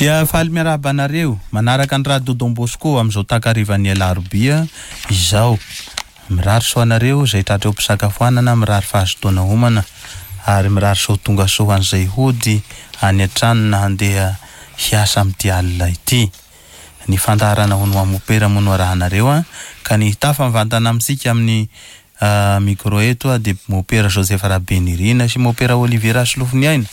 Dia faly miarahaba anareo manaraka ny Radio Don Bosco amin'izao takarivan'ny alarobia izao. Mirary soa anareo izay tratra eo am-pisakafoanana, mirary fahazotoana homana ary mirary soa tonga soa ho an'izay hody any an-trano na handeha hiasa amin'ity alina ity. Ny fandaharana hono ho mopera moa no arahanareo an, ka ny hitafa mivantana amintsika amin'ny micro eto dia mopera Joseph Rabenirina sy mopera Olivier Rasolofoniaina.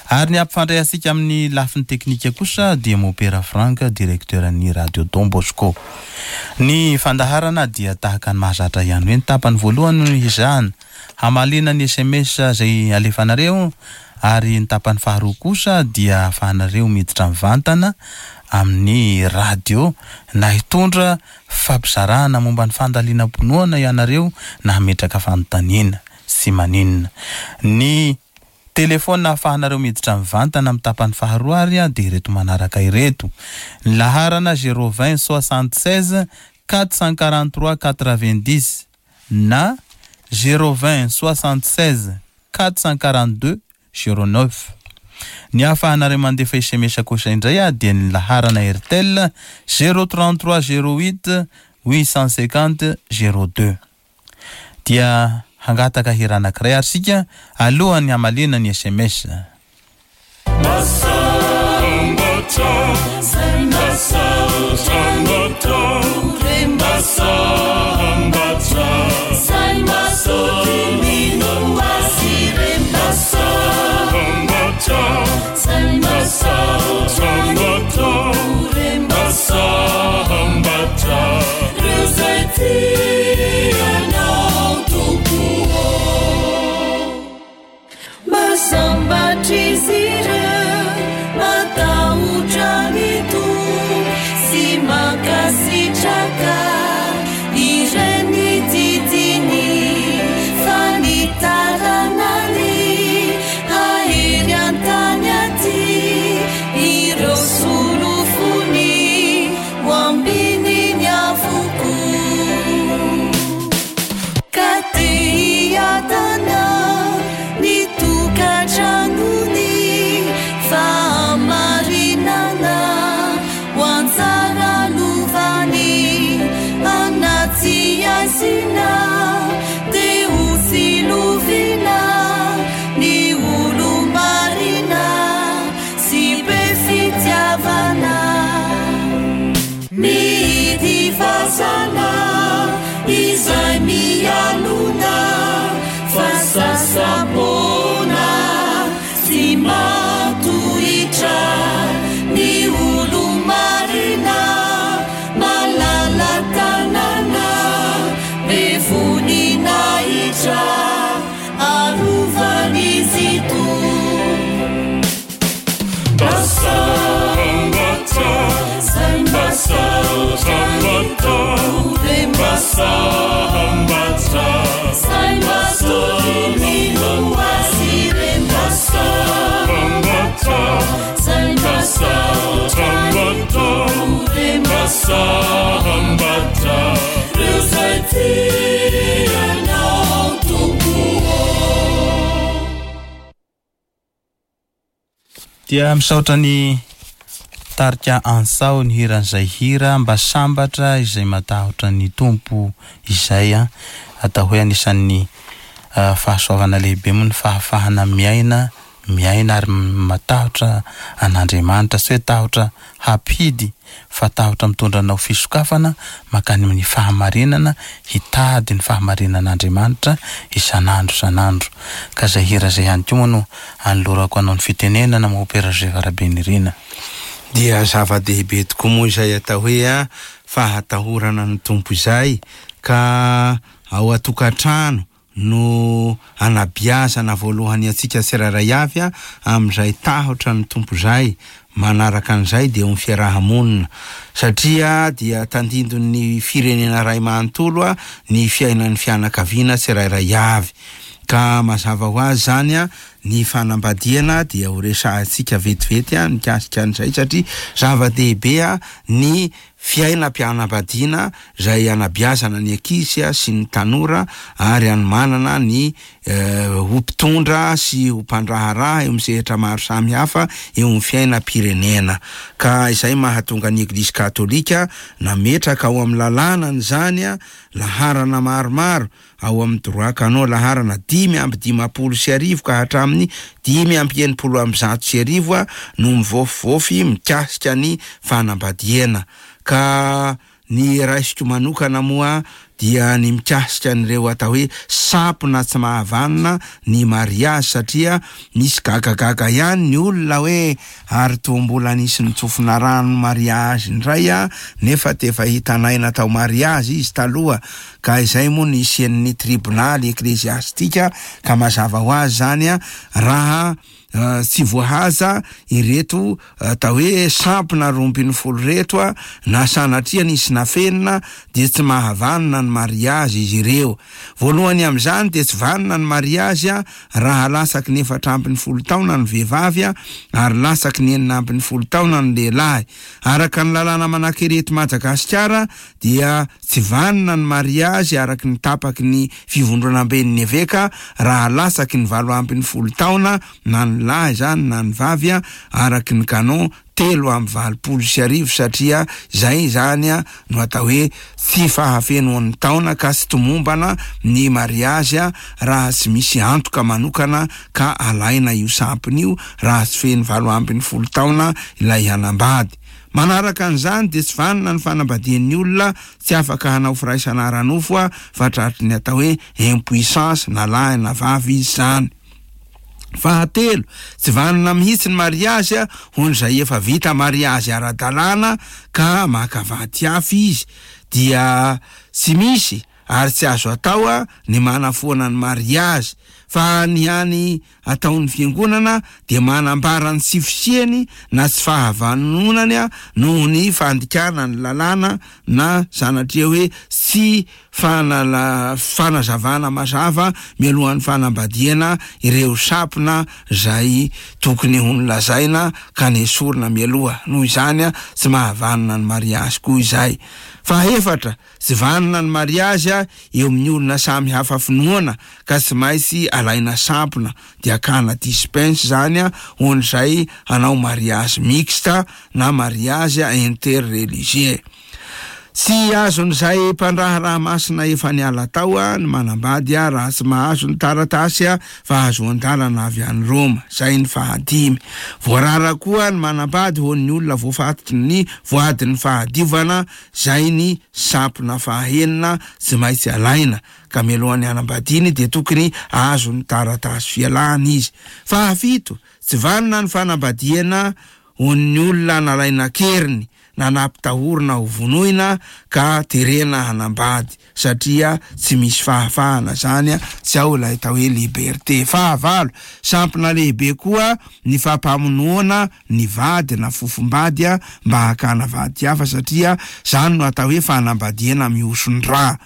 Ary ny hampifandray antsika amin'ny lafiny teknika kosa dia mopera Franck, directeur ny Radio Don Bosco. Ny fandaharana dia tahaka ny mahazatra ihany hoe ny tapany voalohany no hezahana hamaliana ny sms izay alefanareo ary ny tapany faharoa kosa dia ahafahanareo miditra mivantana amin'ny radio na hitondra fampizarana momba ny fandalinam-pinoana ianareo na hametraka fanontaniana. Tsy maninona. Ny telefaonina ahafahanareo miditra mivantana amin'ny tapany faharoa ary dia ireto manaraka ireto. Ny laharana 020 76 443 90 na 020 76 442 09. Ny ahafahanareo mandefa sms kosa indray dia ny laharana Airtel 033 08 850 02. Dia hangataka hira anankiray ary isika alohan'ny hamaliana ny sms. Dia misaotra ny tarika Ansao ny hiran'izay hira mba sambatra izay matahotra ny Tompo izay an. Atao hoe anisan'ny fahasoavana lehibe moa ny fahafahana miaina, miaina ary matahotra an'Andriamanitra, tsy hoe tahotra hampidy fa tahotra mitondra anao fisokafana mankany amin'ny fahamarinana, hitady ny fahamarinan'Andriamanitra isan'andro isan'andro. Ka izay hira izay ihany koa moa no anolorako anao ny fitenenana Mompera Joseph Rabenirina. Dia zava-dehibe tokoa moa izay atao hoe fahatahorana ny Tompo izay ka ao an-tokantrano no anabiazana voalohany antsika tsirairay avy amin'izay tahotra ny Tompo izay, manaraka an'izay dia eo amin'ny fiaraha-monina satria dia tandindon'ny firenena iray manontolo ny fiainan'ny fianakaviana tsirairay avy ka mazava ho azy izany ny fanambadiana dia ho resahantsika vetivety mikasika an'izay satria zava-dehibe ny. fiainam-pianabadiana izay anabeazana ny ankizy sy ny tanora ary anomanana ny ho mpitondra sy ho mpandraharaha eo amin'ny sehatra maro samihafa eo amin'ny fiainam-pirenena. Ka izay mahatonga ny Eglizy Katolika nametraka ao amin'ny lalànany izany laharana maromaro ao amin'ny droit canon laharana 1055 ka hatramin'ny 1165 no mivaofivaofy mikasika ny fanambadiana. Ka ny raisiko manokana moa dia ny mikasika an'ireo atao hoe sampona tsy mahavanona ny mariazy satria misy gagagaga ihany ny olona hoe ary toa mbola nisy nitsofina rano mariazy indray a nefa tefa hitanay natao mariazy izy taloha ka izay moa no hisian'ny tribonaly ekleziastika ka mazava ho azy izany a raha tsy voahaja ireto atao hoe sampona 12 ireto a na sanatria nisy nafenina dia tsy mahavanona ny mariazy izy ireo. Voalohany amin'izany dia tsy vanona ny mariazy a raha latsaky ny 14 taona ny vehivavy a ary latsaky ny 16 taona ny lehilahy. Araka ny lalàna manan-kery eto Madagasikara dia tsy vanona ny mariazy araka ny tapaky ny fivondronamben'ny eveka raha latsaky ny 18 taona na ny lahy izany na ny vavy araka ny canon 1083 satria izay izany no atao hoe tsy fahafenoan'ny taona ka tsy tomombana ny mariazy raha tsy misy antoka manokana ka alaina io sampona io raha tsy feno 18 taona ilay hanambady. Manaraka an'izany dia tsy vanona ny fanambadian'ny olona tsy afaka hanao firaisana ara-nofo fa tratry ny atao hoe impuissance na lahy na vavy izy izany. Fahatelo, tsy vanona mihitsy ny mariazy ho an'izay efa vita mariazy ara-dalàna ka maka vady hafa izy dia tsy misy ary tsy azo atao ny manafoana ny mariazy fa ny hany ataon'ny fiangonana dia manambara ny tsy fisiany na tsy fahavanonany noho ny fandikana ny lalàna na sanatria hoe tsy fanazavana mazava mialohan'ny fanambadiana ireo sampona izay tokony ho nolazaina ka nesorina mialoha. Noho izany tsy mahavanona ny mariazy koa izay. Fahefatra, tsy vanona ny mariazy eo amin'ny olona samy hafa finoana ka tsy maintsy alaina sampona dia akana dispense izany ho an'izay hanao mariazy mixte na mariazy interreligieux. Tsy azon'izay mpandraharaha masina efa niala tao ny manambady raha tsy mahazo ny taratasy fahazoan-dalana avy any Roma. Izay ny fahadimy. Voarara koa ny manambady ho an'ny olona voafatotry ny voadin'ny fahadiovana, izay ny sampona fahaenina tsy maintsy alaina, ka mialohan'ny hanambadiany dia tokony hahazo ny taratasy fialana izy. Fahafito, tsy vanona ny fanambadiana ho an'ny olona nalaina an-keriny na nampitahorina ho vonoina ka terena hanambady satria tsy misy fahafahana zany, tsy ao ilay atao hoe liberté. Fahavalo, sampona lehibe koa ny fampamonoana ny vady na fofombady mba hakana vady hafa satria zany no atao hoe fanambadiana mihoson-dra.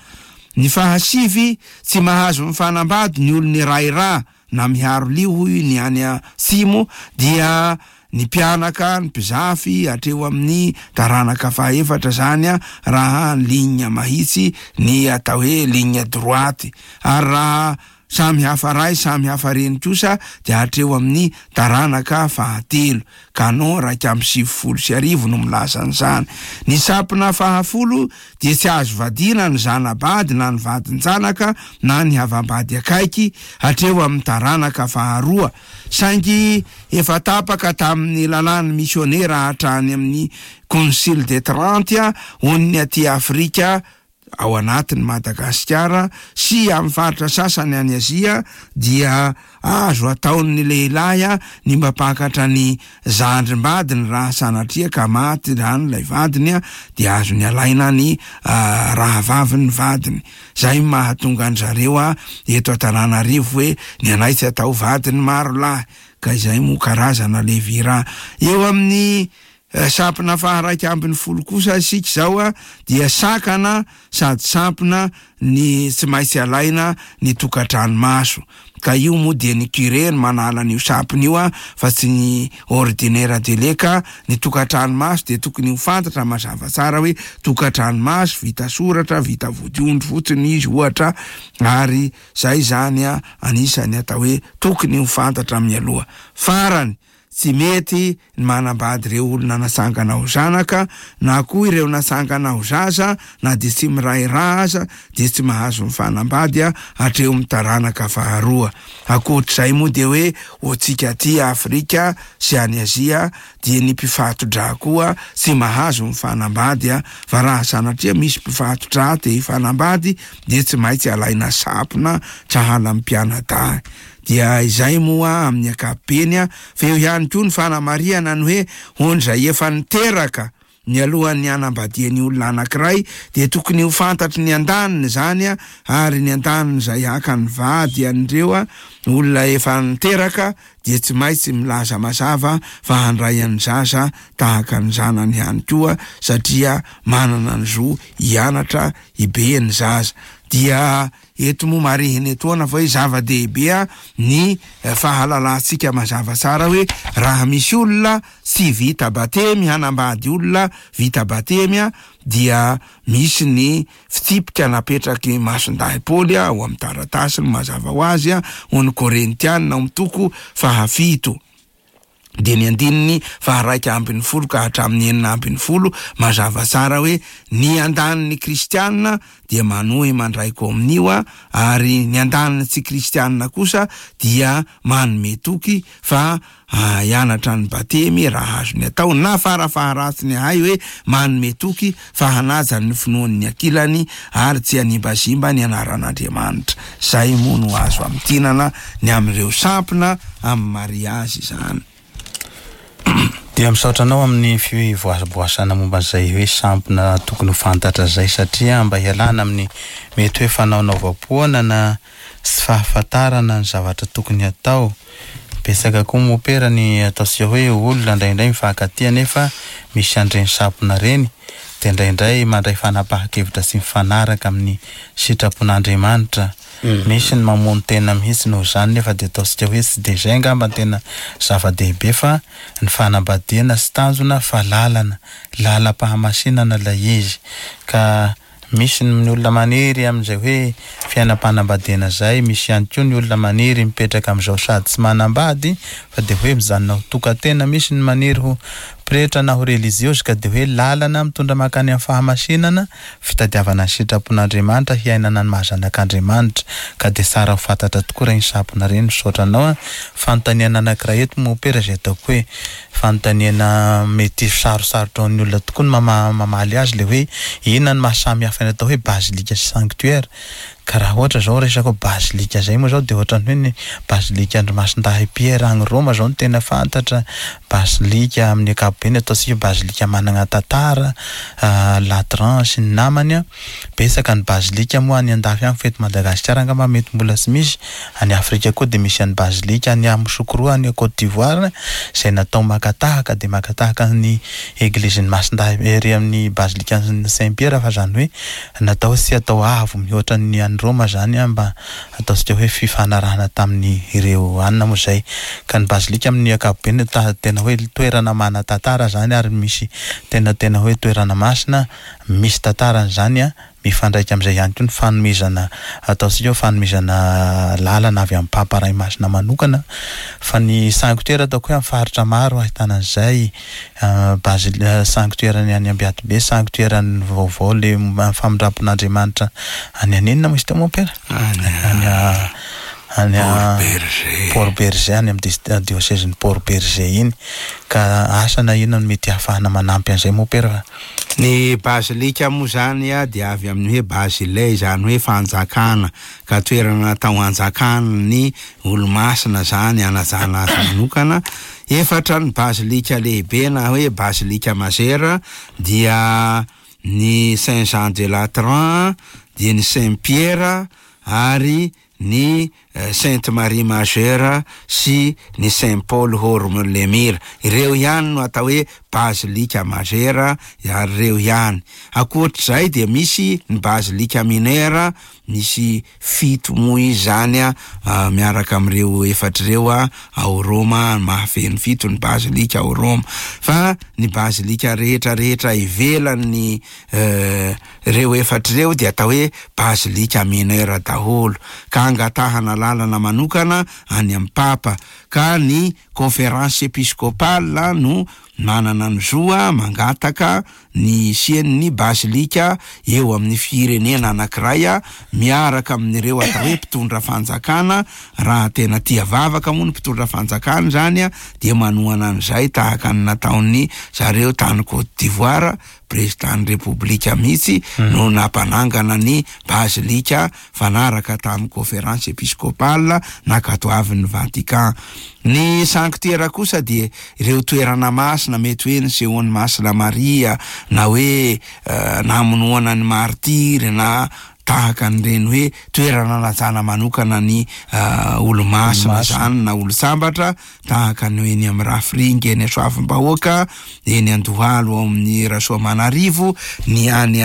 Ny fahasivy, tsy mahazo mifanambady ny olona iray ra na miharo lio hoy ny any atsimo dia ny mpianaka, ny mpizafy hatreo amin'ny taranaka fahaefatra izany raha ligne mahitsy ny atao hoe ligne droite ary raha samy hafa ray samy hafa reny kosa dia hatreo amin'ny taranaka fahatelo. Canon 1091 no milaza an'izany. Ny sampona fahafolo dia tsy azo vadiana ny zana-bady na ny vadin-janaka na ny havam-bady akaiky hatreo amin'ny taranaka faharoa. Saingy efa tapaka tamin'ny lalàn'ny misionera hatrany amin'ny Concile de Trente hon'ny aty Afrika ao anatin'i Madagasikara sy amin'ny faritra sasany any Azia dia azo ataon'ny lehilahy ny mampakatra ny zandrim-badiny raha sanatria ka maty izany ilay vadiny dia azony alaina ny rahavavin'ny vadiny. Izay no mahatonga an-dry zareo eto Antananarivo hoe ny anay tsy atao vadiny maro lahy ka izay moa karazana levira eo amin'ny. Sampona faha-11 kosa isika izao dia sakana sady sampona ny tsy maintsy alaina ny tokantrano maso. Ka io moa dia ny curé no manala an'io sampona io fa tsy ny ordinaire de lait ka ny tokantrano maso dia tokony ho fantatra mazava tsara hoe tokantrano maso vita soratra, vita vodiondry fotsiny izy ohatra ary zay izany anisan'ny atao hoe tokony ho fantatra mialoha. Farany, Tsy mety ny manambady ireo olona natsangana ho zanaka na koa ireo natsangana ho zaza na dia tsy miray ra aza dia tsy mahazo mifanambady hatreo amin'ny taranaka faharoa. Ankoatr'izay moa dia hoe ho antsika aty Afrika sy any Azia dia ny mpifato-drà koa tsy mahazo mifanambady fa raha sanatria misy mpifato-drà te hifanambady dia tsy maintsy alaina sampona sahala amin'ny mpianadahy. Dia izay moa amin'ny ankapobeny, fa eo ihany koa ny fanamarihana ny hoe hon'izay efa niteraka mialohan'ny hanambadiany olona anankiray dia tokony ho fantatry ny andaniny izany ary ny andaniny izay haka ny vady an'ireo olona efa niteraka dia tsy maitsy milaza mazava fa handray an'ny zaza tahaka ny zanany ihany koa satria manana ny zo hianatra hibe ny zaza dia Eto moa marihina etoana fa hoe zava-dehibe ny fahalalantsika mazava tsara hoe raha misy olona tsy vita batemy hanambady olona vita batemy dia misy ny fitsipika napetraky Masindahy Paoly ao amin'ny taratasiny mazava ho azy ho ny Korintiana ao amin'ny toko fahafito. dia ny andininy faha-11 ka hatramin'ny 16, mazava tsara hoe ny andanin'ny kristiana dia manohy mandray kominio ary ny andanin'ny tsy kristiana kosa dia manome toky fa hianatra ny batemy raha azony atao na farafaharatsiny ahay hoe manome toky fa hanaja ny finoan'ny ankilany ary tsy hanimbazimba ny anaran'Andriamanitra. Izay moa no azo amintinana ny amin'ireo sampona amin'ny mariazy izany. Dia misaotra anao amin'ny fivoaboasana momba an'izay hoe sampona tokony ho fantatra izay satria mba hialana amin'ny mety hoe fanaonaovam-poana na tsy fahafantarana ny zavatra tokony hatao. Betsaka koa mopera ny ataontsika hoe olona indraindray mifankatia nefa misy an'ireny sampona ireny dia indraindray mandray fanapahan-kevitra tsy mifanaraka amin'ny sitrapon'Andriamanitra. Misy ny mamono tena mihitsy noho izany nefa dia ataontsika hoe tsy dia izay angamba no tena zava-dehibe fa ny fanambadiana tsy tanjona fa lalana, lalam-pahamasinana ilay izy ka misy ny olona maniry amin'izay hoe fiainam-panambadiana izay, misy ihany koa ny olona maniry mipetraka amin'izao sady tsy manambady fa dia hoe mijanona ho tokan-tena, misy ny maniry ho pretra na ho relijiozy ka dia hoe lalana mitondra mankany amin'ny fahamasinana, fitadiavana ny sitrapon'Andriamanitra hiainana ny maha zanak'Andriamanitra ka dia tsara ho fantatra tokoa ireny sampona ireny, misaotra anao an! Fanontaniana anankiray eto mompera izay ataoko hoe fanontaniana mety sarosarotra ho an'ny olona tokoa ny mamaly azy ilay hoe inona no maha samy hafa ny atao hoe basilique sy sanctuaire ka raha ohatra izao resaka hoe basilique izay moa izao dia ohatran'ny hoe ny basilique an-dry Masindahy Pierre any Roma izao no tena fantatra, basilique amin'ny ankapobeny ataontsika hoe basilique manana tantara, Latran sy ny namany an, betsaka ny basilique moa any andafy any fa eto Madagasikara angamba mety mbola tsy misy, Any Afrika koa dia misy an'i Bazilika any Yamoussoukro any Côte d'Ivoire izay natao maka tahaka dia maka tahaka ny Eglizin'i Masindahy ery amin'ny Bazilikan'i Saint Pierre fa izany hoe natao tsy atao avo mihoatra ny any Roma izany mba ataontsika hoe fifanarahana tamin'ny ireo anona moa izay ka ny Bazilika amin'ny ankapobeny tena hoe toerana manan-tantara izany ary misy tena tena hoe toerana masina misy tantarany izany Mifandraika amin'izay ihany koa ny fanomezana ataontsika hoe fanomezana lalana avy amin'ny Papa Ray Masina manokana fa ny sanctuaire ataoko hoe amin'ny faritra maro ahitana an'izay Basile sanctuaire ny any Ambiatibe, sanctuaire ny vaovao le famindrampon'Andriamanitra any any inona moa izy teo mompera? Any any Port Bergé any amin'ny diosezin'i Port Bergé iny ka asa na inona no mety hahafahana manampy an'izay mompera. Ny bazilika moa izany dia avy amin'ny hoe bazile, izany hoe fanjakana, ka toerana natao hanjakana ny olomasina izany, hanajana azy manokana. Efatra ny bazilika lehibe na hoe bazilika mazera dia ny Saint Jean de Latran, dia ny Saint Pierre ary ny. Sainte Marie Majeure sy ny Saint Paul Horme-le-Mire. Ireo ihany no atao hoe bazilika majera ary ireo ihany. Ankoatr'izay dia misy ny bazilika minera, misy fito moa izy izany miaraka amin'ireo efatra ireo ao Roma, mahafeno fito ny bazilika ao Roma. Fa ny bazilika rehetra rehetra ivelan'ny ireo efatra ireo dia atao hoe bazilika minera daholo, ka angatahana lalana manokana any amin'ny Papa, ka ny Conférence Episcopale no manana ny zo mangataka ny hisian'ny bazilika eo amin'ny firenena anankiray miaraka amin'ireo atao hoe mpitondra fanjakana, raha tena tia vavaka moa ny mpitondra fanjakana izany dia manohana an'izay tahaka ny nataon'ny zareo tany Côte d'Ivoire, Prezidan'ny Repoblika mihitsy no nampanangana ny bazilika fanaraka tamin'ny Conférence Episcopale nankatoavin'ny Vatican. Ny sanktiera kosa dia ireo toerana masina mety hoe nisehoan'i Masina Maria na hoe namonoana ny martiry na tahaka an'ireny hoe toerana nanajana manokana ny olo-masina izany na olon-tsambatra tahaka ny eny amin'ny Rafiringa eny Soavimbahoaka, eny Andohalo ao amin'ny Rasoamanarivo, ny any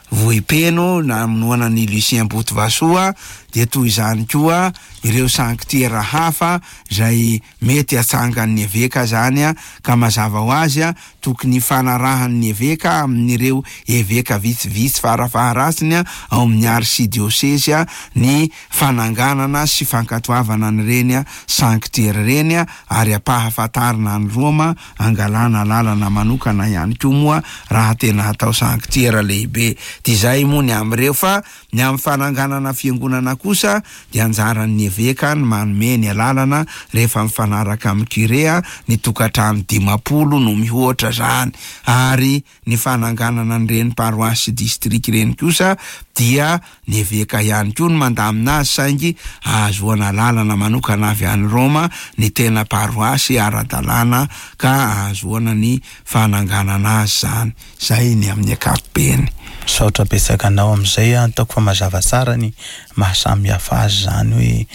Vohipeno namonoana an'i Lucien Botovasoa, dia toy izany koa ireo sanktiera hafa izay mety hatsangan'ny eveka izany ka mazava ho azy tokony hifanarahan'ny eveka amin'ireo eveka vitsivitsy farafaharatsiny ao amin'ny arsidiosezy ny fananganana sy fankatoavana an'ireny sanktiera ireny ary ampahafantarina any Roma angalana alalana manokana ihany koa moa raha tena hatao sanktiera lehibe. Dia izay moa ny amin'ireo fa ny amin'ny fananganana fiangonana kosa dia anjaran'ny eveka ny manome ny alalana rehefa mifanaraka amin'ny curé ny tokantrano 50 no mihoatra izany ary Ny fananganana an'ireny paroasy sy distrika ireny kosa dia ny eveka ihany koa no mandamina azy saingy ahazoana alalana manokana avy any Roma ny tena paroasy ara-dalàna ka ahazoana ny fananganana azy izany. Izay ny amin'ny ankapobeny. Misaotra betsaka anao amin'izay an, ataoko fa mazava tsara ny maha samy hafa azy izany hoe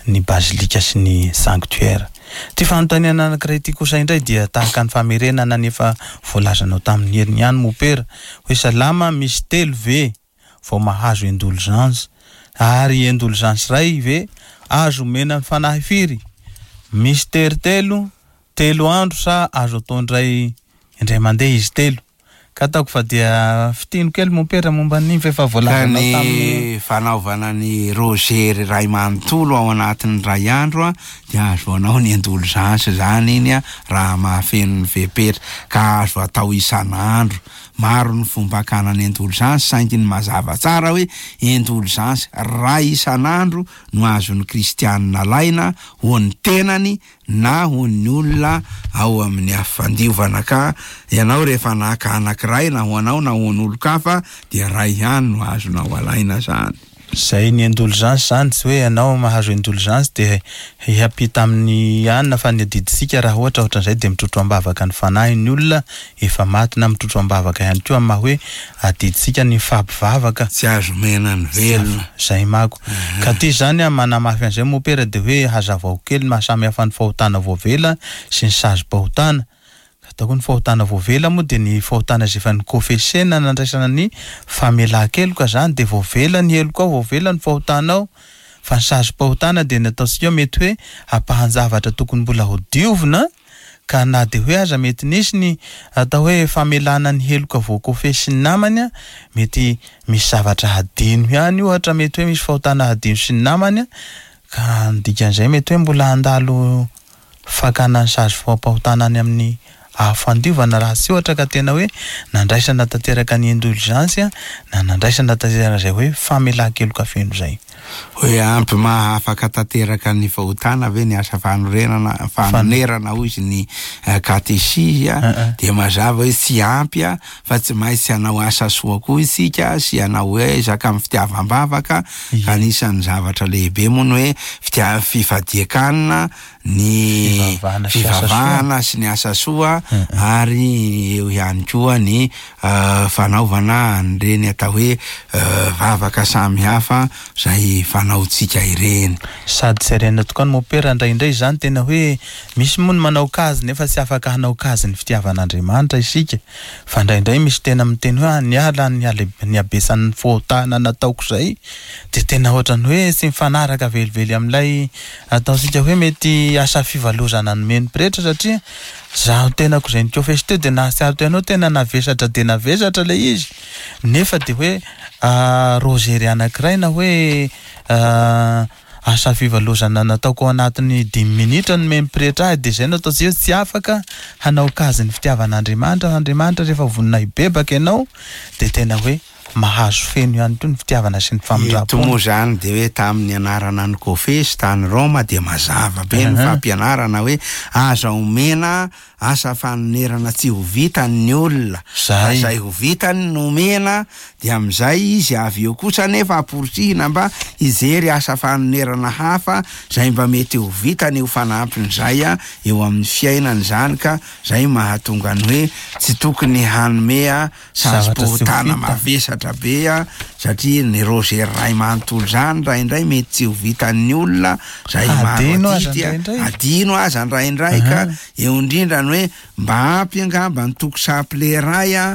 ny bazilika sy ny sanctuaire. Ity fanontaniana anankiray ity kosa indray dia tahaka ny famerenana ny efa voalazanao tamin'ny heriny ihany mopera hoe salama misy telo ve vao mahazo indulgence ary indulgence iray ve azo omena ny fanahy firy? Misy tery telo, telo andro sa azo atao indray indray mandeha izy telo? Ka ataoko fa dia fitino kely mompera momba an'iny fa efa voalazanao Ka tamin'ny. ny fanaovana ny rozery iray manontolo ao anatin'ny iray andro dia ahazoanao ny indulgence izany iny raha mahafeno ny fepetra ka azo atao isan'andro. Maro ny fomba hakana ny indulgence saingy ny mazava tsara hoe indulgence iray isan'andro no azon'ny kristianina alaina ho an'ny tenany na ho ny olona ao amin'ny afo fandiovana ka ianao rehefa naka anankiray na ho anao na ho an'olon-kafa dia iray ihany no azonao alaina zany. Zay ny indulgence zany tsy hoe ianao mahazo indulgence dia hiampita amin'ny anona fa ny adidintsika raha ohatra ohatran'izay dia mitrotro am-bavaka ny fanahin'ny olona efa maty na mitrotro am-bavaka ihany koa amin'ny maha hoe adidintsika ny mifampivavaka. Tsy azo omena ny velona. Zay mako. Ka ty zany an, manamafy an'izay mopera de hoe hazavao kely ny maha samy hafa ny fahotana voavela sy ny sazim-pahotana. Ka ataoko ny fahotana voavela moa de ny fahotana izay efa nikofesena nandraisana ny famelan-keloka zany de voavela ny helokao, voavela ny fahotanao. Fa ny sazim-pahotana de ny ataontsika hoe mety hoe ampahan-javatra tokony mbola ho diovina Ka na dia hoe aza mety nisy ny atao hoe famelana ny heloka voakofesy sy ny namany, mety misy zavatra hadino ihany ohatra, mety hoe misy fahotana hadino sy ny namany, ka ny dikan'izay mety hoe mbola handalo fakana ny sazy fampahotana any amin'ny afo fandiovana raha tsy ohatra ka tena hoe nandraisana tanteraka ny indulgence na nandraisana tanteraka izay hoe famelan-keloka feno izay. Hoe ampy maha afaka tanteraka ny fahotana ve ny asa fanorenana, fanonerana hoy izy ny katesizy dia mazava hoe tsy ampy fa tsy maintsy hanao asa soa koa isika sy hanao ezaka amin'ny fitiavam-bavaka ka anisan'ny zavatra lehibe moa ny hoe fitia- fifadian-kanina ny fivavahana sy ny asa soa ary eo ihany koa ny fanaovana an'ireny atao hoe vavaka samihafa izay. ireny fanaontsika ireny. Sady jerena tokoa ny mopera indraindray izany tena hoe misy moa ny manao kazy nefa tsy afaka hanao kazy ny fitiavan'Andriamanitra isika fa indraindray misy tena miteny hoe ah niala ny ny habesan'ny fahotana nataoko izay dia tena ohatran'ny hoe tsy mifanaraka velively amin'ilay ataontsika hoe mety asa fivalozana nomen'ny pretra satria zaho tenako izay nikofesy teo dia nahatsiaro tena hoe tena navesatra dia navesatra ilay izy nefa dia hoe rozery anankiray na hoe asa fivalozana nataoko ao anatin'ny dimy minitra nomen'ny pretra ahy dia izay no ataontsika hoe tsy afaka hanao kazy ny fitiavan'Andriamanitra fa Andriamanitra rehefa vonona hibebaka ianao dia tena hoe mahazo feno ihany koa ny fitiavana sy ny Eto famindram-pony. moa izany dia hoe tamin'ny anarana ny kofesy tany Roma dia mazava be ny fampianarana hoe aza omena asa fanonerana tsy ho vitany ny olona fa Zay. izay ho vitany no omena dia amin'izay izy avy eo kosa anefa amporisihina mba hijery asa fanonerana hafa izay mba mety ho vitany ho fanampin'izay eo amin'ny fiainany izany ka izay mahatonga ny hoe tsy tokony hanome Zavatra tsy ho sazim-pahotana vita. mavesatra be satria ny rozery iray manontolo izany indraindray mety tsy ho vitan'ny olona izay maro Adino aza adidy a, indraindray. adino aza indraindray ka eo indrindra ny hoe mba ampy angamba ny toko saple iray a,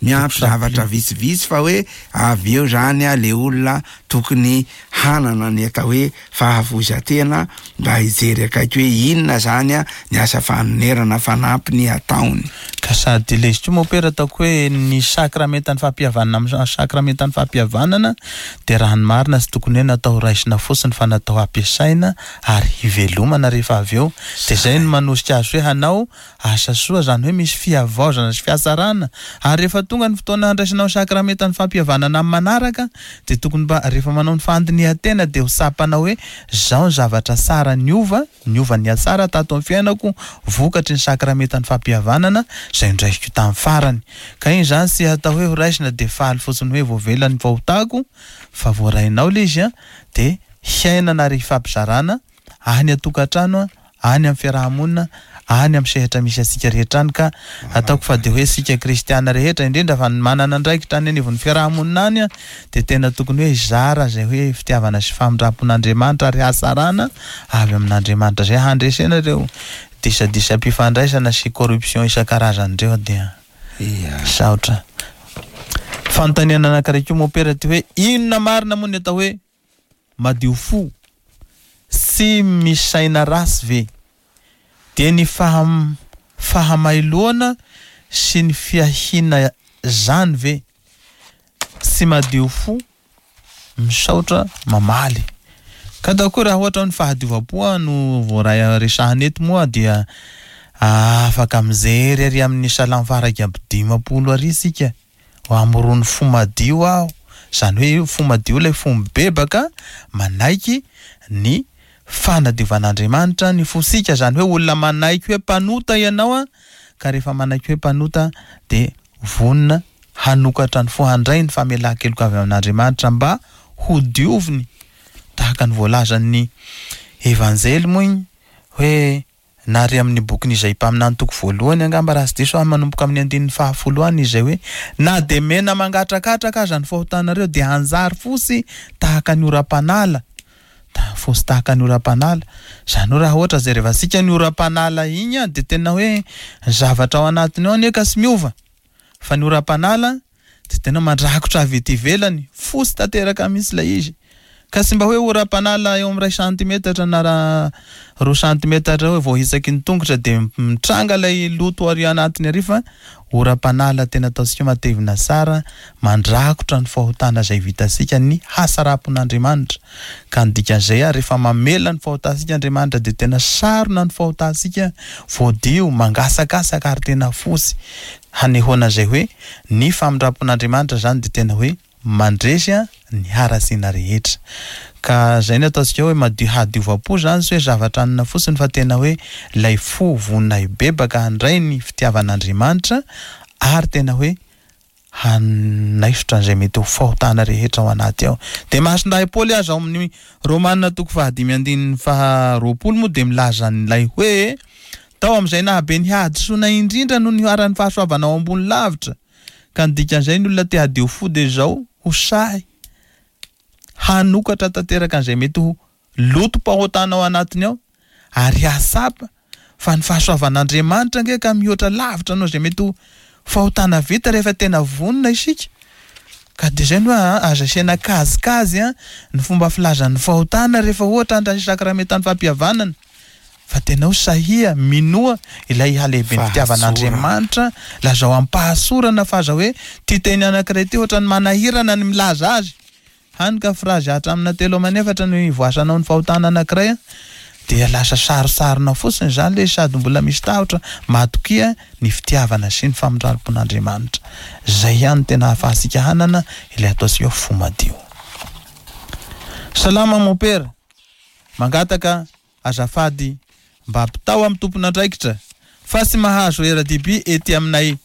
miampy zavatra vitsivitsy fa hoe avy eo zany a le olona tokony hanana ny atao hoe fahafoizan-tena mba hijery akaiky hoe inona zany a ny asa fanonerana fanampiny ataony. Ka sady ilay izy koa mopera ataoko hoe ny sakramentan'ny fampihavanana amin'ny sakramentan'ny fampihavanana dia raha ny marina tsy tokony hoe natao raisina fotsiny fa natao hampiasaina ary hivelomana rehefa avy eo. Dia izay no manosika azy hoe hanao asa soa, izany hoe misy fihavaozana sy fihatsarana. Ary rehefa tonga ny fotoana handraisanao ny sakramentan'ny fampihavanana amin'ny manaraka dia tokony mba rehefa manao ny fandinihan-tena dia ho tsapanao hoe izao ny zavatra tsara niova, niova nihatsara tato amin'ny fiainako vokatry ny sakramentan'ny fampihavanana izay noraisiko tamin'ny farany. Ka iny izany tsy atao hoe horaisina dia faly fotsiny hoe voavela ny fahotako fa voarainao ilay izy dia hiainana ary hifampizarana any an-tokantrano, any amin'ny fiaraha-monina, any amin'ny sehatra misy antsika rehetra any ka ataoko fa dia hoe isika kristiana rehetra indrindra fa ny manana andraikitra any anivon'ny fiaraha-monina any dia tena tokony hoe hizara izay hoe fitiavana sy famindram-pon'Andriamanitra ary hatsarana avy amin'Andriamanitra izay handresena ireo disadisam-pifandraisana sy corruption isan-karazany ireo dia misaotra. Fanontaniana anankiray koa mompera ty hoe inona marina moa ny atao hoe madio fo sy misaina ratsy ve dia ny fahamailoana sy ny fiahiana zany ve tsy madio fo? Misaotra mamaly. Ka atao koa raha ohatra hoe ny fahadiovam-po no voaray resahana eto moa dia afaka mijery ary amin'ny salamo faha 51 ary isika. Hamorony fo madio aho. Izany hoe fo madio ilay fo mibebaka manaiky ny fanadiovan'Andriamanitra ny fosika. Izany hoe olona manaiky hoe mpanota ianao a, ka rehefa manaiky hoe mpanota dia vonona hanokatra ny fo handray ny famelan-keloka avy amin'Andriamanitra mba ho dioviny tahaka ny voalazan'ny Evanjely moa iny hoe na ary amin'ny bokin'i Izaia mpaminany toko voalohany angamba raha tsy diso aho manomboka amin'ny andininy fahafolo any izay hoe na dia mena mangatrakatraka aza ny fahotanareo dia hanjary fotsy tahaka ny oram-panala. Fotsy tahaka ny oram-panala. Izany hoe raha ohatra jerevantsika ny oram-panala iny dia tena hoe ny zavatra ao anatiny ao anie ka tsy miova. Fa ny oram-panala dia tena mandrakotra avy ety ivelany, fotsy tanteraka mihitsy ilay izy. Ka tsy mba hoe oram-panala eo amin'ny iray santimetatra na roa santimetatra eo vao hitsaky ny tongotra dia mitranga ilay loto ary anatiny ary fa oram-panala tena ataontsika hoe matevina tsara, mandrakotra ny fahotana izay vitantsika ny hatsaram-pon'Andriamanitra. Ka ny dikan'izay ary rehefa mamela ny fahotantsika Andriamanitra dia tena sarona ny fahotantsika, voadio, mangasakasaka ary tena fotsy. Hanehoana izay hoe ny famindram-pon'Andriamanitra izany dia tena hoe mandresy ny haratsiana rehetra. Ka izay no ataontsika hoe madio hadiovam-po izany tsy hoe zavatra anona fotsiny fa tena hoe ilay fo vonona hibebaka handray ny fitiavan'Andriamanitra ary tena hoe hanaisotra an'izay mety ho fahotana rehetra ao anaty ao. Dia Masindahy Paoly aza ao amin'ny Romana toko fahadimy andininy faharoapolo moa dia milaza an'ilay hoe tao amin'izay nahabe ny hadisoana indrindra no niharan'ny fahasoavana ao ambony lavitra. Ka ny dikan'izay ny olona te hadio fo dia izao ho sahy. hanokatra tanteraka an'izay mety ho lotom-pahotana ao anatiny ao ary hahatsapa fa ny fahasoavan'Andriamanitra ange ka mihoatra lavitra noho izay mety ho fahotana vita rehefa tena vonona isika. Ka dia izay no hoe aza asiana kajikajy ny fomba filazan'ny fahotana rehefa ohatra handray sakramentan'ny fampihavanana. Fa tena ho sahia, minoa ilay halehiben'ny fitiavan'Andriamanitra, lazao am-pahasorana fa aza hoe ity teny anankiray ity ohatran'ny manahirana ny milaza azy. Hany ka frazy hatramina telo aman'efatra no ivoasanao ny fahotana anankiray dia lasa sarotsarona fotsiny izany ilay izy sady mbola misy tahotra, matokia ny fitiavana sy ny famindrampon'Andriamanitra. Izay ihany no tena ahafahantsika hanana ilay ataontsika hoe fo madio. Salama Mompera, mangataka azafady mba ampitao amin'ny tompon'andraikitra fa tsy mahazo rdb ety aminay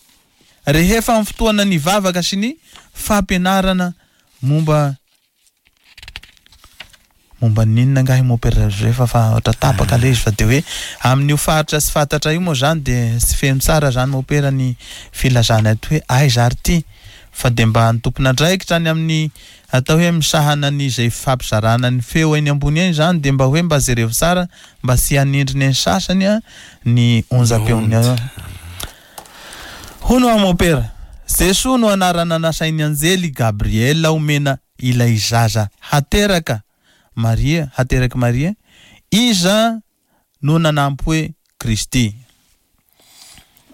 rehefa amin'ny fotoana ny vavaka sy ny fampianarana momba momba ny inona angaha i Mompera Josefa fa ohatra tapaka ilay izy fa dia hoe amin'io faritra tsy fantatra io moa izany dia tsy feno tsara izany Mompera ny filazana eto hoe aiza ary ity fa dia mba ny tompon'andraikitra any amin'ny atao hoe misahana ny izay fampizarana ny feo eny ambony eny izany dia mba hoe mba jerevo tsara mba tsy hanindry ny sasany ny onjam-peon'ny Hono aho Mompera, Jesoa no anarana nasain'ny anjely Gabriela omena ilay zaza hateraka Maria, haterak'i Maria, iza no nanampy hoe Kristy?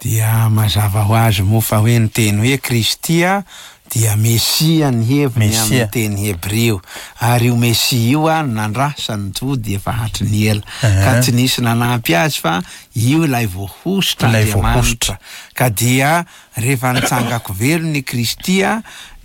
Dia mazava ho azy moa fa hoe ny teny hoe Kristy dia Mesia ny heviny amin'ny teny hebreo. Ary io Mesia io no nandrasan'ny Jody efa hatry ny ela. Ka tsy nisy nanampy azy fa io ilay voahosotr'Andriamanitra. Ka dia rehefa nitsangako velona i Kristy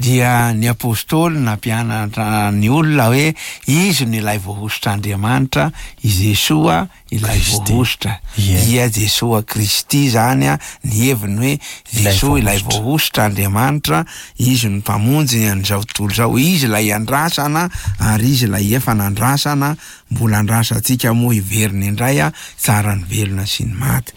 dia ny Apostoly nampianatra ny olona hoe izy no ilay voahosotr'Andriamanitra, i Jesoa ilay voahosotra. Dia Jesoa Kristy izany ny heviny hoe Jesoa ilay voahosotr'Andriamanitra, Izy no Mpamonjy an'izao tontolo izao, Izy ilay andrasana ary Izy ilay efa nandrasana, mbola andrasantsika moa hiverina indray hitsara ny velona sy ny maty.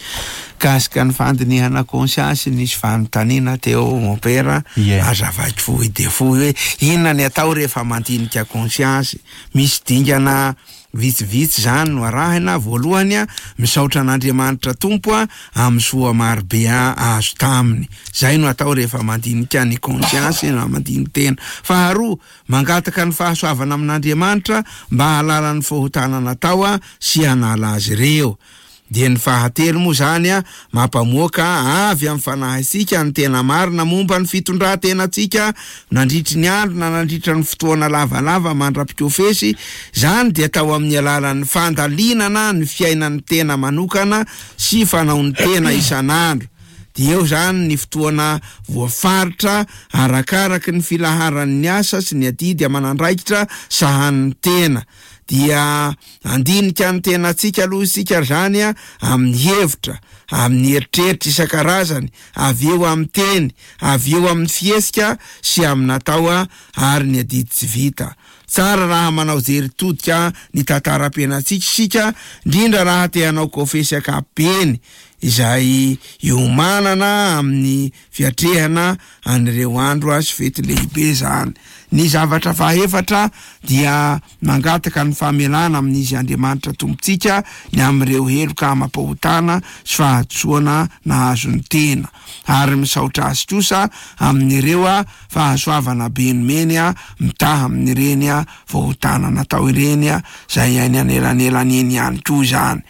Mikasika ny fandinihana conscience nisy fanontaniana teo Mompera, azavaiko fohy dia fohy hoe inona ny atao rehefa mandinika conscience? Misy dingana Vitsivitsy izany no arahina, voalohany, misaotra an'Andriamanitra Tompo amin'ny soa marobe azo taminy. Izay no atao rehefa mandinika ny conscience na mandini-tena. Faharoa, mangataka ny fahasoavana amin'Andriamanitra mba hahalala ny fahotana natao sy hanala azy ireo. Dia ny fahatelo moa izany, mampamoaka avy amin'ny fanahintsika ny tena marina momba ny fitondran-tenantsika nandritry ny andro na nandritra ny fotoana lavalava mandra-pikofesy, izany dia atao amin'ny alalan'ny fandalinana ny fiainan'ny tena manokana sy fanaon'ny tena isan'andro. Dia eo izany ny fotoana voafaritra arakaraky ny filaharan'ny asa sy ny adidy aman'andraikitra sahanin'ny tena. Dia handinika ny tenantsika aloha isika ry zany a, amin'ny hevitra, amin'ny eritreritra isan-karazany, avy eo amin'ny teny, avy eo amin'ny fihetsika sy amin'ny natao ary ny adidy tsy vita. Tsara raha manao jery todika ny tantaram-piainantsika isika, indrindra raha te hanao kofesy ankapobeny, izay iomanana amin'ny fiatrehana an'ireo andro sy fety lehibe izany. Ny zavatra fahaefatra dia mangataka ny famelana amin'Izy Andriamanitra Tompontsika ny amin'ireo heloka amam-pahotana sy fahadisoana nahazo ny tena, ary misaotra Azy kosa amin'ireo fahasoavana be nomeny mitaha amin'ireny fahotana natao ireny izay any anelanelany eny ihany koa izany.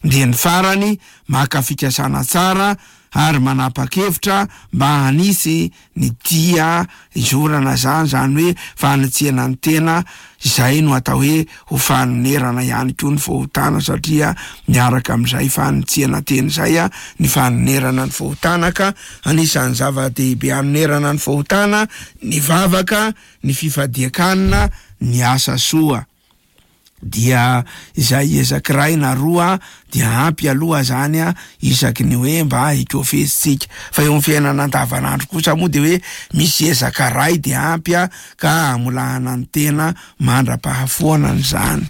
Dia ny farany, maka fikasana tsara ary manapa-kevitra mba hanisy ny dia hizorana izany, izany hoe fanitsiana ny tena, izay no atao hoe ho fanonerana ihany koa ny fahotana satria miaraka amin'izay fanitsiana tena izay ny fanonerana ny fahotana ka anisan'ny zava-dehibe hanonerana ny fahotana ny vavaka, ny fifadian-kanina, ny asa soa. dia izay ezaka iray na roa dia ampy aloha zany isaky ny hoe mba hikofesitsika fa eo amin'ny fiainana andavanandro kosa moa dia hoe misy ezaka iray dia ampy ka hamolahana ny tena mandra-pahafoanana izany.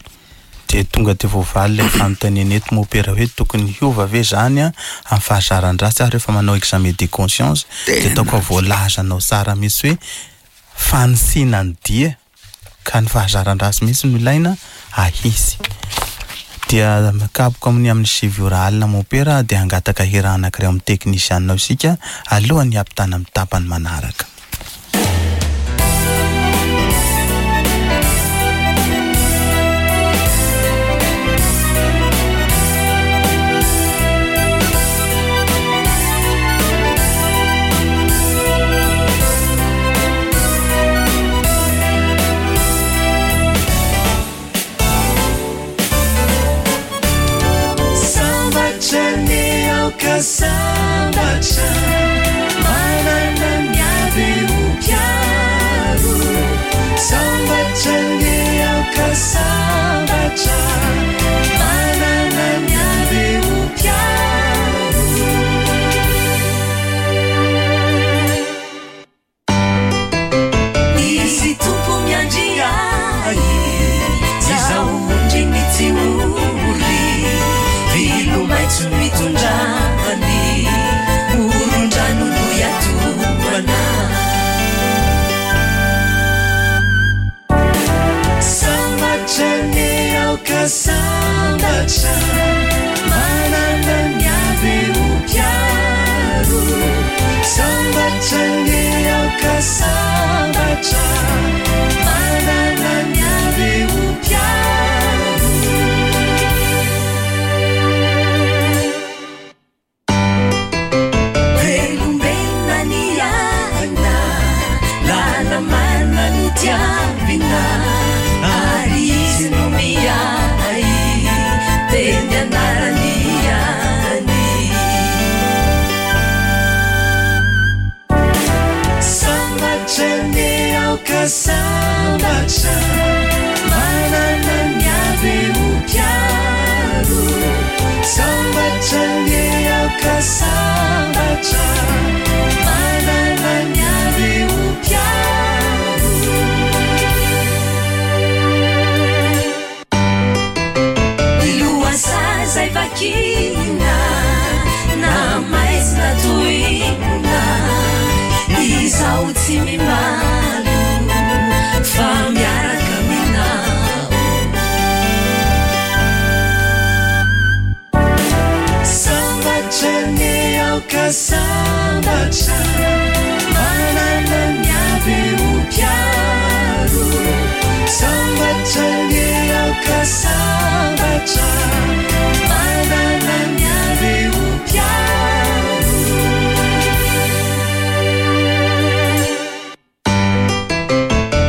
Dia tonga dia voavaly ilay fanontaniana eto mopera hoe tokony hiova ve izany amin'ny fahazaran-dratsy aho rehefa manao examen de conscience dia ataoko fa voalazanao tsara mihitsy hoe fanisiana ny dia. Ka ny fahazaran-dratsy mihitsy no ilaina ahisy. Dia mikapoka amin'ny amin'ny 9 ora alina mompera dia hangataka hira anankiray ao amin'ny teknisianina ao isika alohan'ny hampitana amin'ny tapany manaraka. Sambatra ny aoka sambatra manana ny avy ho mpiaro. Sambatra ny aoka sambatra manana ny avy ho mpiaro. Izy Tompo miandry ahy, izaho ondriny tsy ory, vilo maitso no itondrany, moron-drano no iatohana. Sambatra ny aoka sambatra, manana ny avy ho mpiaro. Sambatra ny aoka sambatra, manana ny avy ho mpiaro. Velombelona ny aina, lala-marina no tiavina, ary izy no miahy, teny anarany ihany. Sambatra ny aoka sambatra, manana ny avy ho mpiaro. Sambatra ny aoka sambatra, manana ny avy ho mpiaro. Ny lohasaha izay vakina, na maizina toy inona, izaho tsy mimalo, fa miaraka aminao. Sambatra ny aoka sambatra, manana ny avy ho mpiaro. Sambatra ny aoka sambatra, manana ny avy ho mpiaro.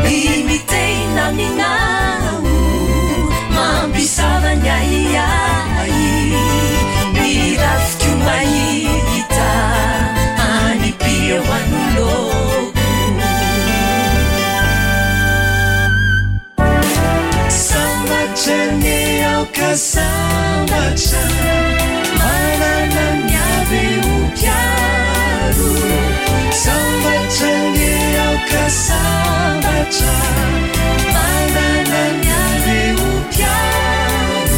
Ny miteny aminao, mampisava ny ahiahy, ny rafiko mahita any eo anoloako. Sambatra ny aoka sambatra, manana ny avy ho mpiaro. Sambatra ny aoka sambatra, manana ny avy ho mpiaro.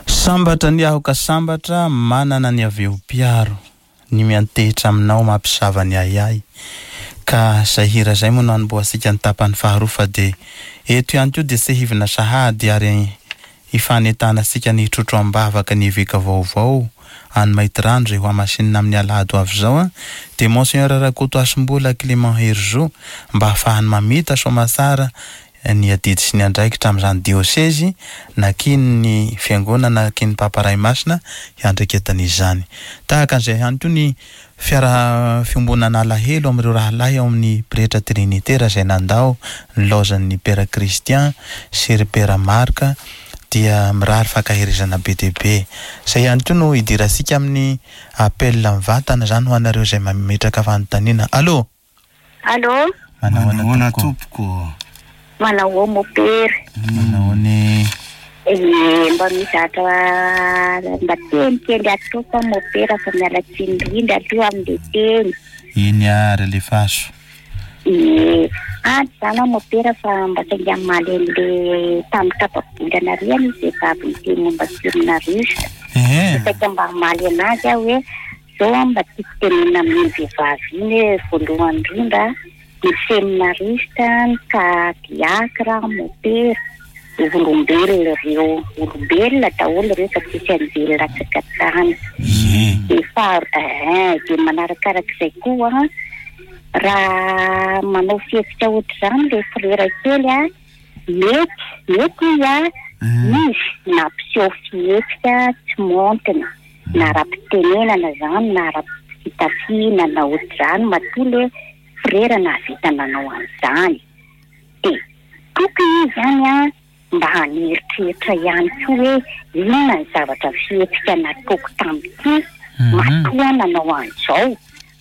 Sambatra ny aho ka sambatra manana ny avy eo mpiaro, ny miantehitra aminao mampisava ny ahiahy. Ka zay hira zay moa no hanombohantsika ny tapany faharoa fa dia eto ihany koa dia sehivina sahady ary hifanentanantsika ny hitrotro am-bavaka ny eveka vaovao any Maintirano izay hohamasinina amin'ny alahady ho avy izao dia Monseigneur Rakoto Hasimbola Clément Herizo mba hahafahany mamita soamatsara ny adidy sy ny andraikitra amin'izany diosezy nakian'ny fiangonana nakian'ny Papa Ray Masina hiandraiketana izany. Tahaka an'izay ihany koa ny fiaraha fiombonana alahelo amin'ireo rahalahy ao amin'ny pretra trinitera izay nandao ny laozan'ny Pera Christian sy ry Pera Marc dia mirary fankaherezana be dia be. Izay ihany koa no hidirantsika amin'ny appel mivantana izany ho anareo izay mametraka fanontaniana. Allô! Allô? Manahoana tompoko? Manahoa mopera? Manahoana e? Ee, mba misy zavatra mba teny kely ataoko aho mopera fa miala tsiny indrindra aloha amin'ilay teny. Eny ary alefaso. Ee, any izany aho mopera fa mba sainga hamaly an'ilay tamin'ny tapa-bolana ary anie vehivavy niteny momba ny filona russe. Ehe. Saika mba hamaly anazy aho hoe. Izao an mba tiako tenenina amin'iny vehivavy iny hoe voalohany indrindra ny seminariste, ny ka diacre, mopera, olombelona ireo, olombelona daholo ireo fa tsisy anjely latsaka tany. Dia faha eh dia manarakarak'izay koa an, raha manao fihetsika ohatr'izany ilay frera kely an, mety, mety izy an, izy nampiseho fihetsika tsy maontina. na ara-pitenenana izany na ara-pitafiana na ohatr'izany matoa le frera nahavita nanao an'izany dia tokony izy izany an mba haneritreritra ihany koa hoe inona ny zavatra fihetsika nataoko tamin'ity matoa aho nanao an'izao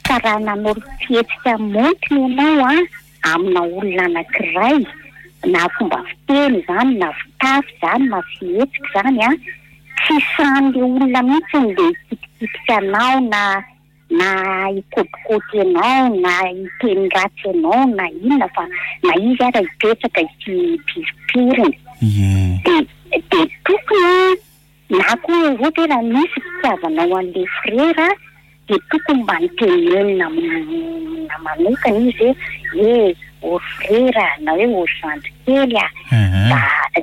fa raha nanao fihetsika maontina ianao an amina olona anankiray na fomba fiteny izany na fitafy izany na fihetsika izany an, tsy sahan'ilay olona mihitsy le hikitikitika anao na na hikôtikôty anao na hiteny ratsy anao na inona fa na izy ara hipetraka hipirimpiriny. Dia dia tokony Na koa ohatra hoe raha misy fitiavanao an'ilay frera dia tokony mba notenenina amina manokana izy hoe eh ô ry frera na hoe ô ry zandry kely a, mba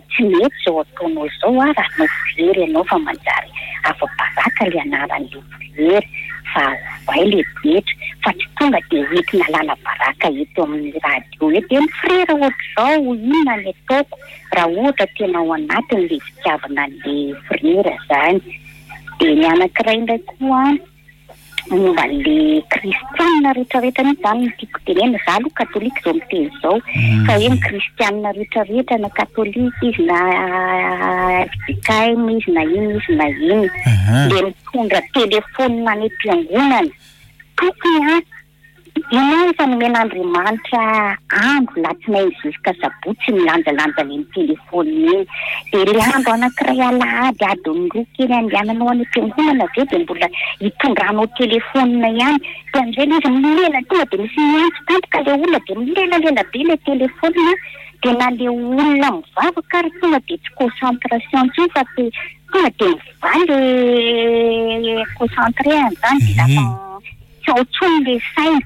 tsy mety izao ataonao izao a, raha hanao frera ianao fa manjary afa-baraka ilay anaran'ilay frera fa ovay ilay toetra fa tsy tonga dia hoentina alana baraka eto amin'ny radio eto hoe ny frera ohatr'izao inona ny ataoko. raha ohatra tena ao anatiny le fitiavana an'le frera zany. De ny anankiray indray koa momba an'le kristianina rehetrarehetra mihitsy zany no tiako tenenina, za aloha katolika zao miteny zao, fa hoe ny kristianina rehetrarehetra na katolika izy na fjkm izy na inona izy na inona, le mitondra telefonina any am-piangonana, tokony an Ianao efa nomen'Andriamanitra andro latsinainy jusqu'à sabotsy milanjalanja an'iny téléphone iny. Dia ilay andro anankiray alahady adiny roa kely andehananao any am-piangonana ve dia mbola hitondranao téléphone ihany. Dia amin'izay ilay izy milela tonga dia misy miantso tampoka ilay olona dia milelalela be ilay téléphone dia na ilay olona mivavaka ary tonga dia tsy concentration intsony fa tonga dia mivaly ilay concentré an'izany dia lasa Tsy ao intsony le saina.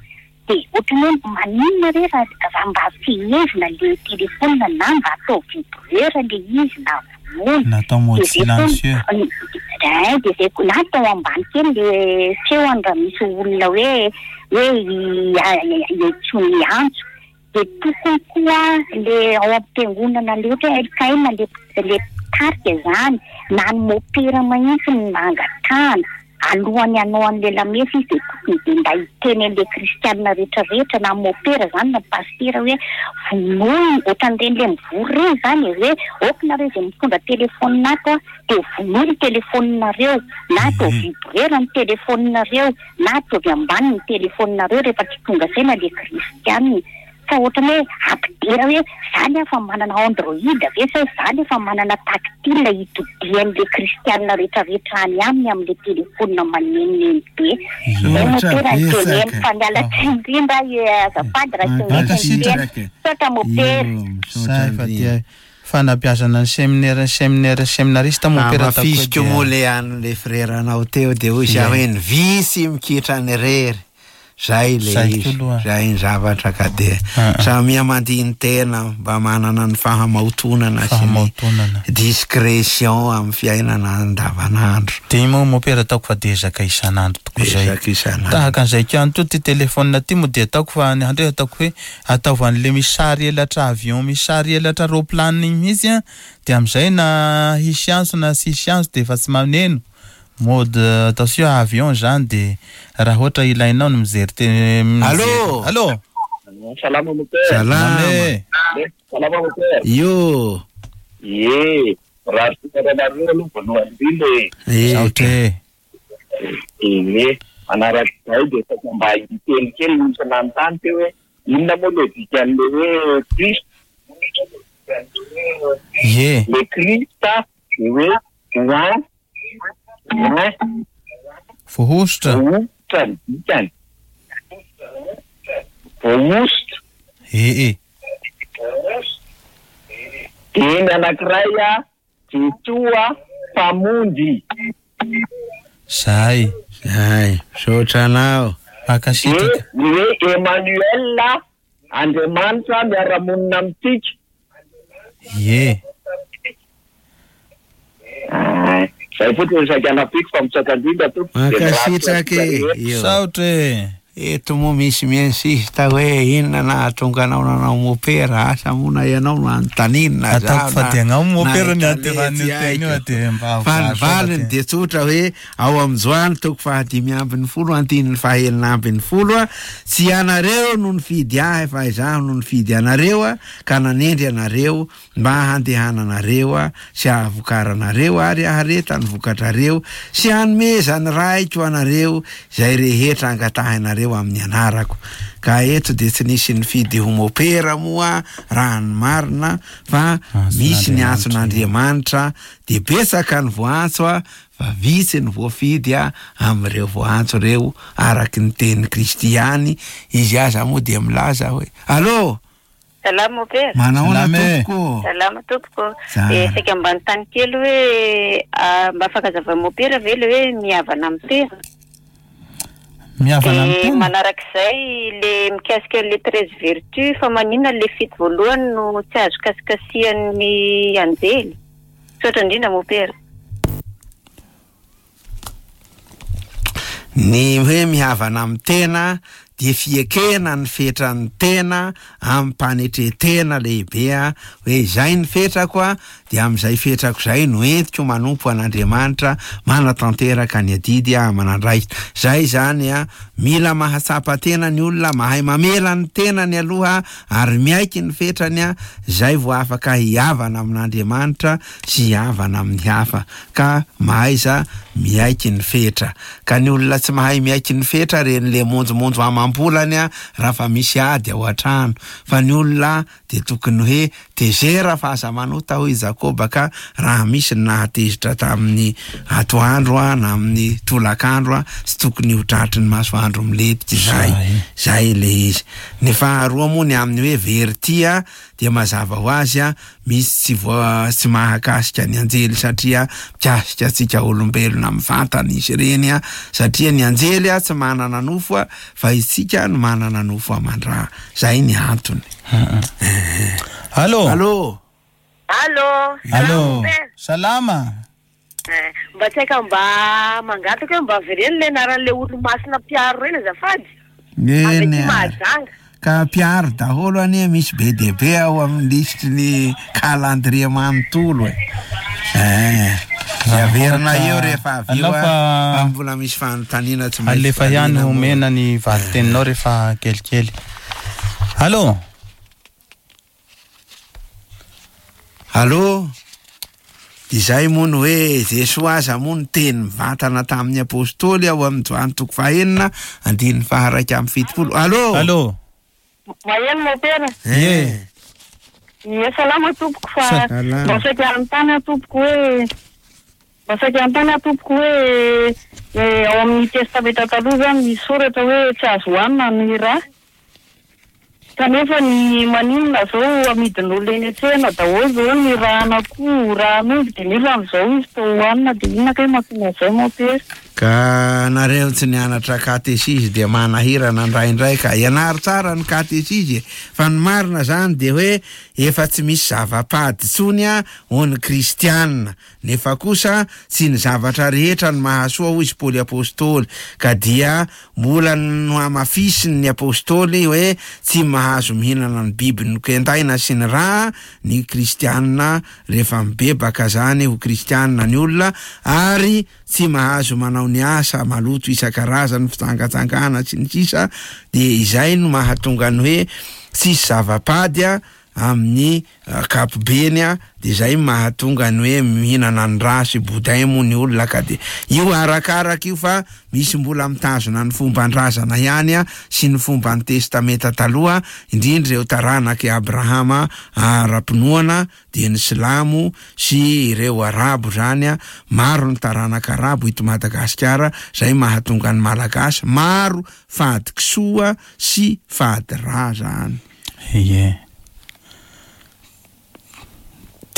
De ohatran'ny hoe maninona re raha raha mba fehezina le téléphone na mba atao vibreur le izy na vonoina. Na atao mode De zay koa silencieux. Ein de zay koa na atao ambany kely le feony raha misy olona hoe hoe hiantsoany antso. De tokony koa le ao am-piangonana le ohatra hoe LKM le le mpitarika zany na ny mopera mahintsy no nangatahana alohan'ny hanao an'le lamesa izy de tokony de mba hiteny an'le kristianina rehetra rehetra na mopera zany na pasitera hoe vonoy ohatran'ireny le mivory ireny zany e hoe ok nareo izay mitondra telephone ato a de vonoy ny telephone-nareo na atao vibreur ny telephone-nareo na ataovy ambany ny telephone-nareo rehefa tsy tonga saina le kristianina fa ohatrany hoe ampidera hoe za nefa manana android ve sa za nefa manana tactile hitodian'le kristianina retraretra any aminy amle telephone manenoneno be zay no Misaotra tena betsaka. teneno fa miala tsiny indrindra eh, azafady raha tsy mety ny Mankasitraka. teny misaotra mopera Io, misaotra Zay fa indrindra. dia Fanabeazana ny seminera ny seminera seminarista mompera ataoko hoe Hamafisiko dia moa le an'le freranao teo de hoy za Ie. hoe ny visy mikitra ny rery. Zay le Zay izy, koa aloha. zay ny zavatra ka de Ah, ah. samia mandini-tena mba manana ny fahamaotonana sy ny Fahamaotonana. discrétion amin'ny fiainana andavanandro. Dia moa mompera ataoko fa dia ezaka isan'andro tokoa izay. Ezaka isan'andro. Tahaka an'izay koa any toa ity téléphone ity moa dia ataoko fa ny andreo ataoko hoe Ataovy an'le misy sary elatra avion misy sary elatra roplanina iny mihitsy an, de amizay na hisy antso na tsy hisy antso de efa tsy maneno, mode attention avion zany de raha ohatra ilainao ny mijery te mijery Allô! Allô! Salama mompera. Salama. Ame. Salama mompera. Io. Ie, raha soa anareo aloha voalohany indrindra e. Misaotra e. Ie, manarak'izay dia saika mba hiteny kely nisy nanontany teo hoe inona moa le dikan'le hoe Christ? Ie. Le Christ de hoe oint, oint, Voahosotra. voahosotra ny dikany. Voahosotra. Ee e. Dia ny anankiray a, Jesoa Mpamonjy. Zay. Zay, misaotra anao. Dia Mankasitraka. ny hoe Emmanuel, Andriamanitra miara-monina amintsika. Ie. Ah, Zay fotsiny no saika anampiako fa misaotra indrindra tompoko. Dia mirary soa Mankasitraka antsika e. rehetra. Io. Misaotra e. Eto moa misy miinsiste hoe inona nahatonga anao nanao mopera, asa moa na ianao no anontaniana na Ataoko zaho fa na- dia agnao na mopera ny i anteran'io Talety teny io haiko. dia mba Fa ny voasoa valiny dia. dia tsotra hoe ao amin'ny Joany toko faha-15 andininy faha-16 a, tsy ianareo no nifidy ahy fa izaho no nifidy anareo a, ka nanendry anareo mba handehananareo a, sy hahavokaranareo ary haharetan'ny vokatrareo sy hanomezan'ny Raiko anareo izay rehetra angatahinareo amin'ny anarako. Ka eto dia tsy nisy nifidy ho mopera moa raha ny marina fa misy ny antson'Andriamanitra dia betsaka ny voantso a, fa vitsy ny voafidy a amin'ireo voantso ireo araky ny tenin'i Kristy ihany. Izy aza moa dia milaza hoe allô, Salama mopera. manahoana Salama e. tompoko? Salama tompoko. Tsara. Eh, saika mba nitany kely hoe ah, mba afaka azavain'i mopera ve le hoe mihavana amin'ny tena? Mihavana amin'ny De tena. manarak'izay le mikasika le 13 vertus fa maninona le fito voalohany no tsy azo kasikasian'ny anjely? Misaotra indrindra mopera. Ny hoe mihavana amin'ny tena dia fiekena ny fetran'ny tena amim-panetren-tena lehibe a, hoe izay ny fetrako a, dia amin'izay fetrako izay no entiko manompo an'Andriamanitra manatanteraka ny adidy a aman'andraikitra. Zay zany a, mila mahatsapa tena ny olona, mahay mamela ny tenany aloha ary miaiky ny fetrany a, zay vao afaka hihavana amin'Andriamanitra sy hihavana amin'ny hafa, ka mahaiza miaiky ny fetra. Ka ny olona tsy mahay miaiky ny fetra reny le monjomonjo amam-bolany a, raha fa misy ady ao an-trano. Fa ny olona dia tokony hoe tezera fa aza manota hoy Jakoba, ka raha misy ny nahatezitra tamin'ny atoandro a, na amin'ny tolakandro a, tsy tokony ho tratry ny masoandro milentika izay. Zay. Zay le izy. Ny faharoa moa ny amin'ny hoe verity a, dia mazava ho azy a, misy tsy voa tsy mahakasika ny anjely satria mikasika antsika olombelona mivantana izy ireny a, satria ny anjely a tsy manana nofo a, fa isika no manana nofo aman-dra. Zay ny antony. Allô. Allô. Allô. Allô. Salama. Eh, mba tsy haika mba mangataka hoe mba avereno le anaran'le olo-masina mpiaro reny azafady. Avy aty Eny a. Mahajanga. Ka mpiaro daholo anie misy be dia be ao amin'ny lisitry ny calendrier manontolo e. Eh. Raha Averina ohatra- eo rehefa avy eo Alao a, fa- fa mbola misy fanontaniana tsy maintsy Alefa ihany valiana moa. omena ny valiteninao rehefa kelikely. Allô. Allô. Izay moa no hoe Jesoa aza moa niteny mivantana tamin'ny apôstôly ao amin'ny Joany toko fahenina andininy faha-71. Allô. Allô. Maheno mopera. Eh. Ie, salama tompoko fa Salama. mba saika hanontany aho tompoko hoe mba saika hanontany aho tompoko hoe eh, ao amin'ny testamenta taloha zany misy soratra hoe tsy azo hohanina ny rà. Kanefa ny maninona zao amidin'olona eny an-tsena daholo zao ny ràn'akoho, ràn'omby dia nefa amin'izao izy toa hohanina dia inona kay mahatonga an'izay mopera? Ka nareo tsy nianatra katesizy dia manahirana indraindray ka ianaro tsara ny katesizy e. Fa ny marina zany dia hoe efa tsy misy zava-pady intsony a ho ny kristianina, nefa kosa tsy ny zavatra rehetra no mahasoa hoy izy Paoly apôstôly, ka dia mbola nohamafisiny ny apôstôly hoe tsy mahazo mihinana ny biby nokendaina sy ny rà ny kristianina rehefa mibebaka zany ho kristianina ny olona, ary tsy mahazo manao ny asa maloto isan-karazany, fijangajangana sy ny sisa. Dia izay no mahatonga ny hoe tsisy zava-pady a amin'ny ankapobeny a, dia izay mahatonga ny hoe mihinana ny rà sy boudin moa ny olona, ka dia io arakaraka io fa misy mbola mitazona ny fomban-drazana ihany a sy ny fomban'ny testamenta taloha, indrindra ireo taranak'i Abrahama ara-pinoana dia ny silamo sy ireo arabo zany a. Maro ny taranaka arabo eto Madagasikara, zay mahatonga ny Malagasy maro fady kisoa sy fady rà zany. Ie.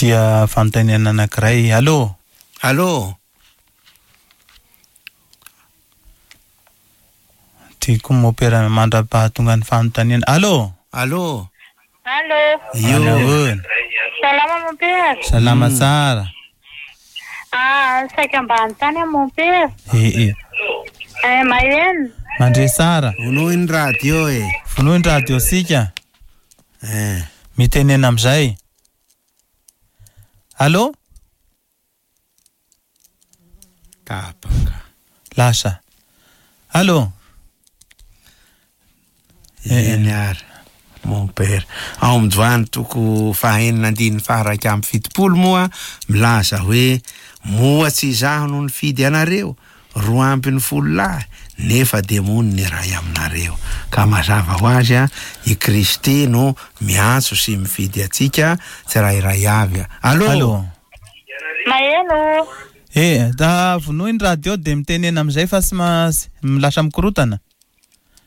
Tia fanontaniana anankiray. Allô. Allô. Tiako mopera mandra-pahatonga ny fanontaniana. Allô? Allô? Allô? Io. Ahoana? Salama mon père. Salama tsara. Ah, saika mba hanontany aho mon père. Eh eh. Eh, maheno. Mandre tsara. Vonoy ny radio e. Vonoy ny radio sika. Eh. Mitenena amin'izay. Allô? Tapaka. Lasa. Allô? Eny ary. Mon père. Ao amin'ny Joany toko fahenina andininy faha-iraika amby fitopolo moa milaza hoe moa tsy izaho no nifidy anareo 12 lahy nefa demony ny iray aminareo. Ka mazava ho azy a, i Kristy no miantso sy mifidy antsika tsirairay avy. Allô? Allô? Maheno. Eh, da vonoy ny radio dia mitenena amin'izay fa tsy ma- lasa mikorotana.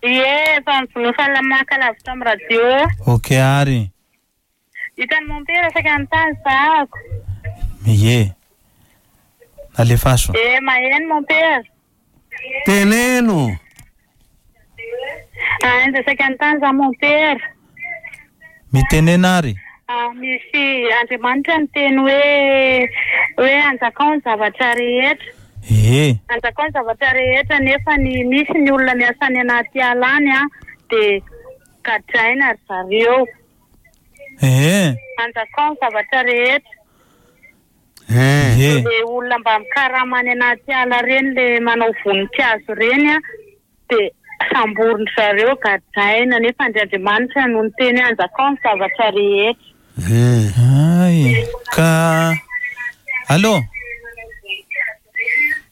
Ie, efa mivonofa lamaka lavitra amin'ny radio. Ok ary. Hitan'i mon père saika hanontany zahako. Ie. Alefaso. Eh, maheno mon père. Teneno. Ah, dia saika hanontany za mon père. Mitenena ary. Ah, misy Andriamanitra niteny hoe hoe anjakao ny zavatra rehetra. Ie. Anjakao ny zavatra rehetra nefa ny misy ny olona miasa any anaty ala any a dia gadraina ry zareo. Eh. Anjakao ny zavatra rehetra. Eh. Ie. Le olona mba mikarama any anaty ala reny le manao voninkazo reny a dia samborin-dry zareo gadraina nefa Andriamanitra no niteny hoe anjakao ny zavatra rehetra. Eh. Ay. Ka Allô?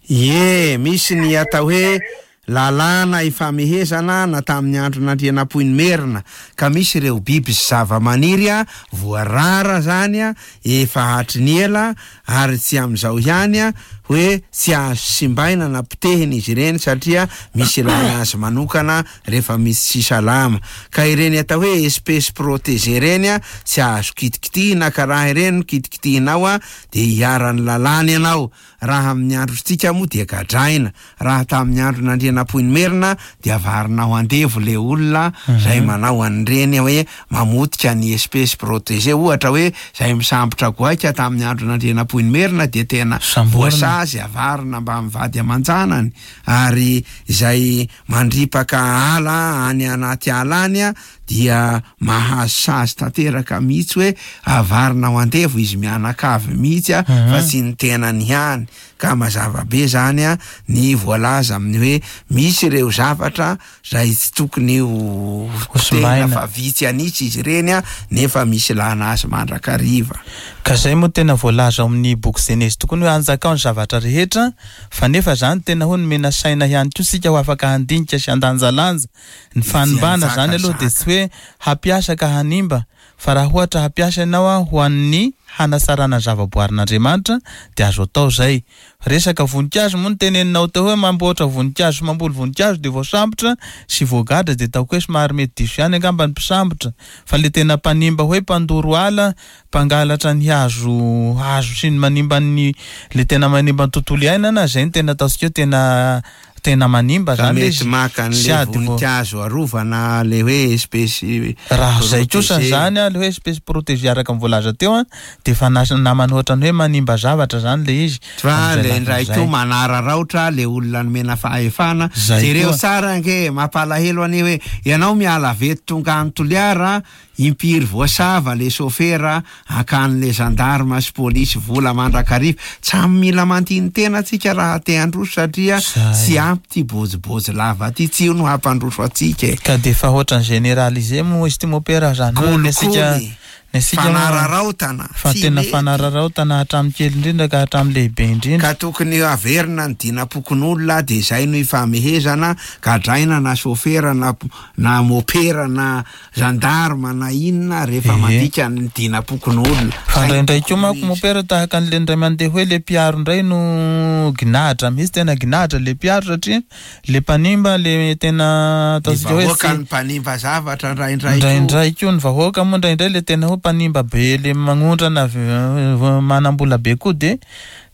Ie, misy ny atao hoe lalàna ifamehezana na tamin'ny andron'Andrianampoinimerina ka misy ireo biby sy zava-maniry a voarara zany a efa hatry ny ela ary tsy amin'izao ihany a hoe tsy azo simbaina na potehina izy ireny satria misy ilana azy manokana rehefa misy tsy salama ka ireny atao hoe espèce protégée ireny a tsy azo kitikitihina ka raha ireny no kitikitihinao a dia iharan'ny lalàna ianao. Raha amin'ny androntsika moa dia gadraina, raha tamin'ny andron'Andrianampoinimerina dia avarina ho andevo le olona zay manao an'ireny hoe mamotika ny espèce protégée, ohatra hoe zay misambotra goaika tamin'ny andron'Andrianampoinimerina dia tena voasazy avarina mba mivady aman-janany, ary izay mandripaka ala any anaty ala any dia mahazo sazy tanteraka mihitsy hoe avarina ho andevo izy mianakavy mihitsy a, fa tsy ny tenany ihany. Ka mazava be zany a ny voalaza amin'ny hoe misy ireo zavatra zay tsy tokony ho potehina fa vitsy an'isa izy ireny a, nefa misy ilana azy mandrakariva. Ka zay moa tena voalaza ao amin'ny boky Genezy tokoa ny hoe anjakao ny zavatra rehetra, fa nefa zany tena hoe nomena saina ihany koa isika ho afaka handinika sy handanjalanja. Ny fanimbana zany aloha dia tsy hoe hampiasa ka hanimba, fa raha ohatra hampiasa ianao a ho an'ny hanatsarana ny zavaboarin'Andriamanitra dia azo atao zay. Resaka voninkazo moa no teneninao teo hoe mamboatra voninkazo sy mamboly voninkazo dia voasambotra sy voagadra, dia ataoko hoe somary mety diso ihany angamba ny mpisambotra, fa le tena mpanimba hoe mpandoro ala, mpangalatra ny hazo hazo sy ny manimba ny le tena manimba ny tontolo iainana, zay no tena ataontsika hoe tena tena manimba Ka zany le mety izy. maka an'le Sady vo- voninkazo arovana le hoe espèce Raha zay kosa protégée. zany a, le hoe espèce protégée araka ny voalaza teo a, dia efa namana ohatran'ny hoe manimba zavatra zany le izy. Fa Amin'izay le lafiny indray zay. koa manararaotra le olona nomena fahefana. Zay Jereo koa. tsara ange, mampalahelo anie hoe ianao miala avy eto tonga any Toliara, impiry voasava le sofera akan'le gendarme sy polisy vola mandrakariva. Samy mila mandini-tena antsika raha te handroso satria Zay. tsy ampy ty bôjibôjy lava ty, tsy io no hampandroso antsika e. Ka dia efa ohatran'ny généralisé moa izy ty mopera zany hoe ny antsika- Kolikoly, ny antsika moa- fanararaotana, fa tsy tena mety. fanararaotana hatramin'ny kely indrindra ka hatramin'ny lehibe indrindra. Ka tokony averina ny dinam-pokonolona dia izay no ifamehezana, gadraina na sofera na, na mopera na gendarme na inona rehefa mandika ny dinam-pokonolona. Fa indraindray koa manko mopera tahaka an'le indray mandeha hoe le mpiaro indray no ginadra mihitsy, tena ginadra le mpiaro satria le mpanimba le tena Ny ataontsika hoe vahoaka tsy- ny mpanimba zavatra indraindray koa. Indraindray koa ny vahoaka moa indraindray le tena hoe mpanimba be le magnondrana manam-bola be koa dia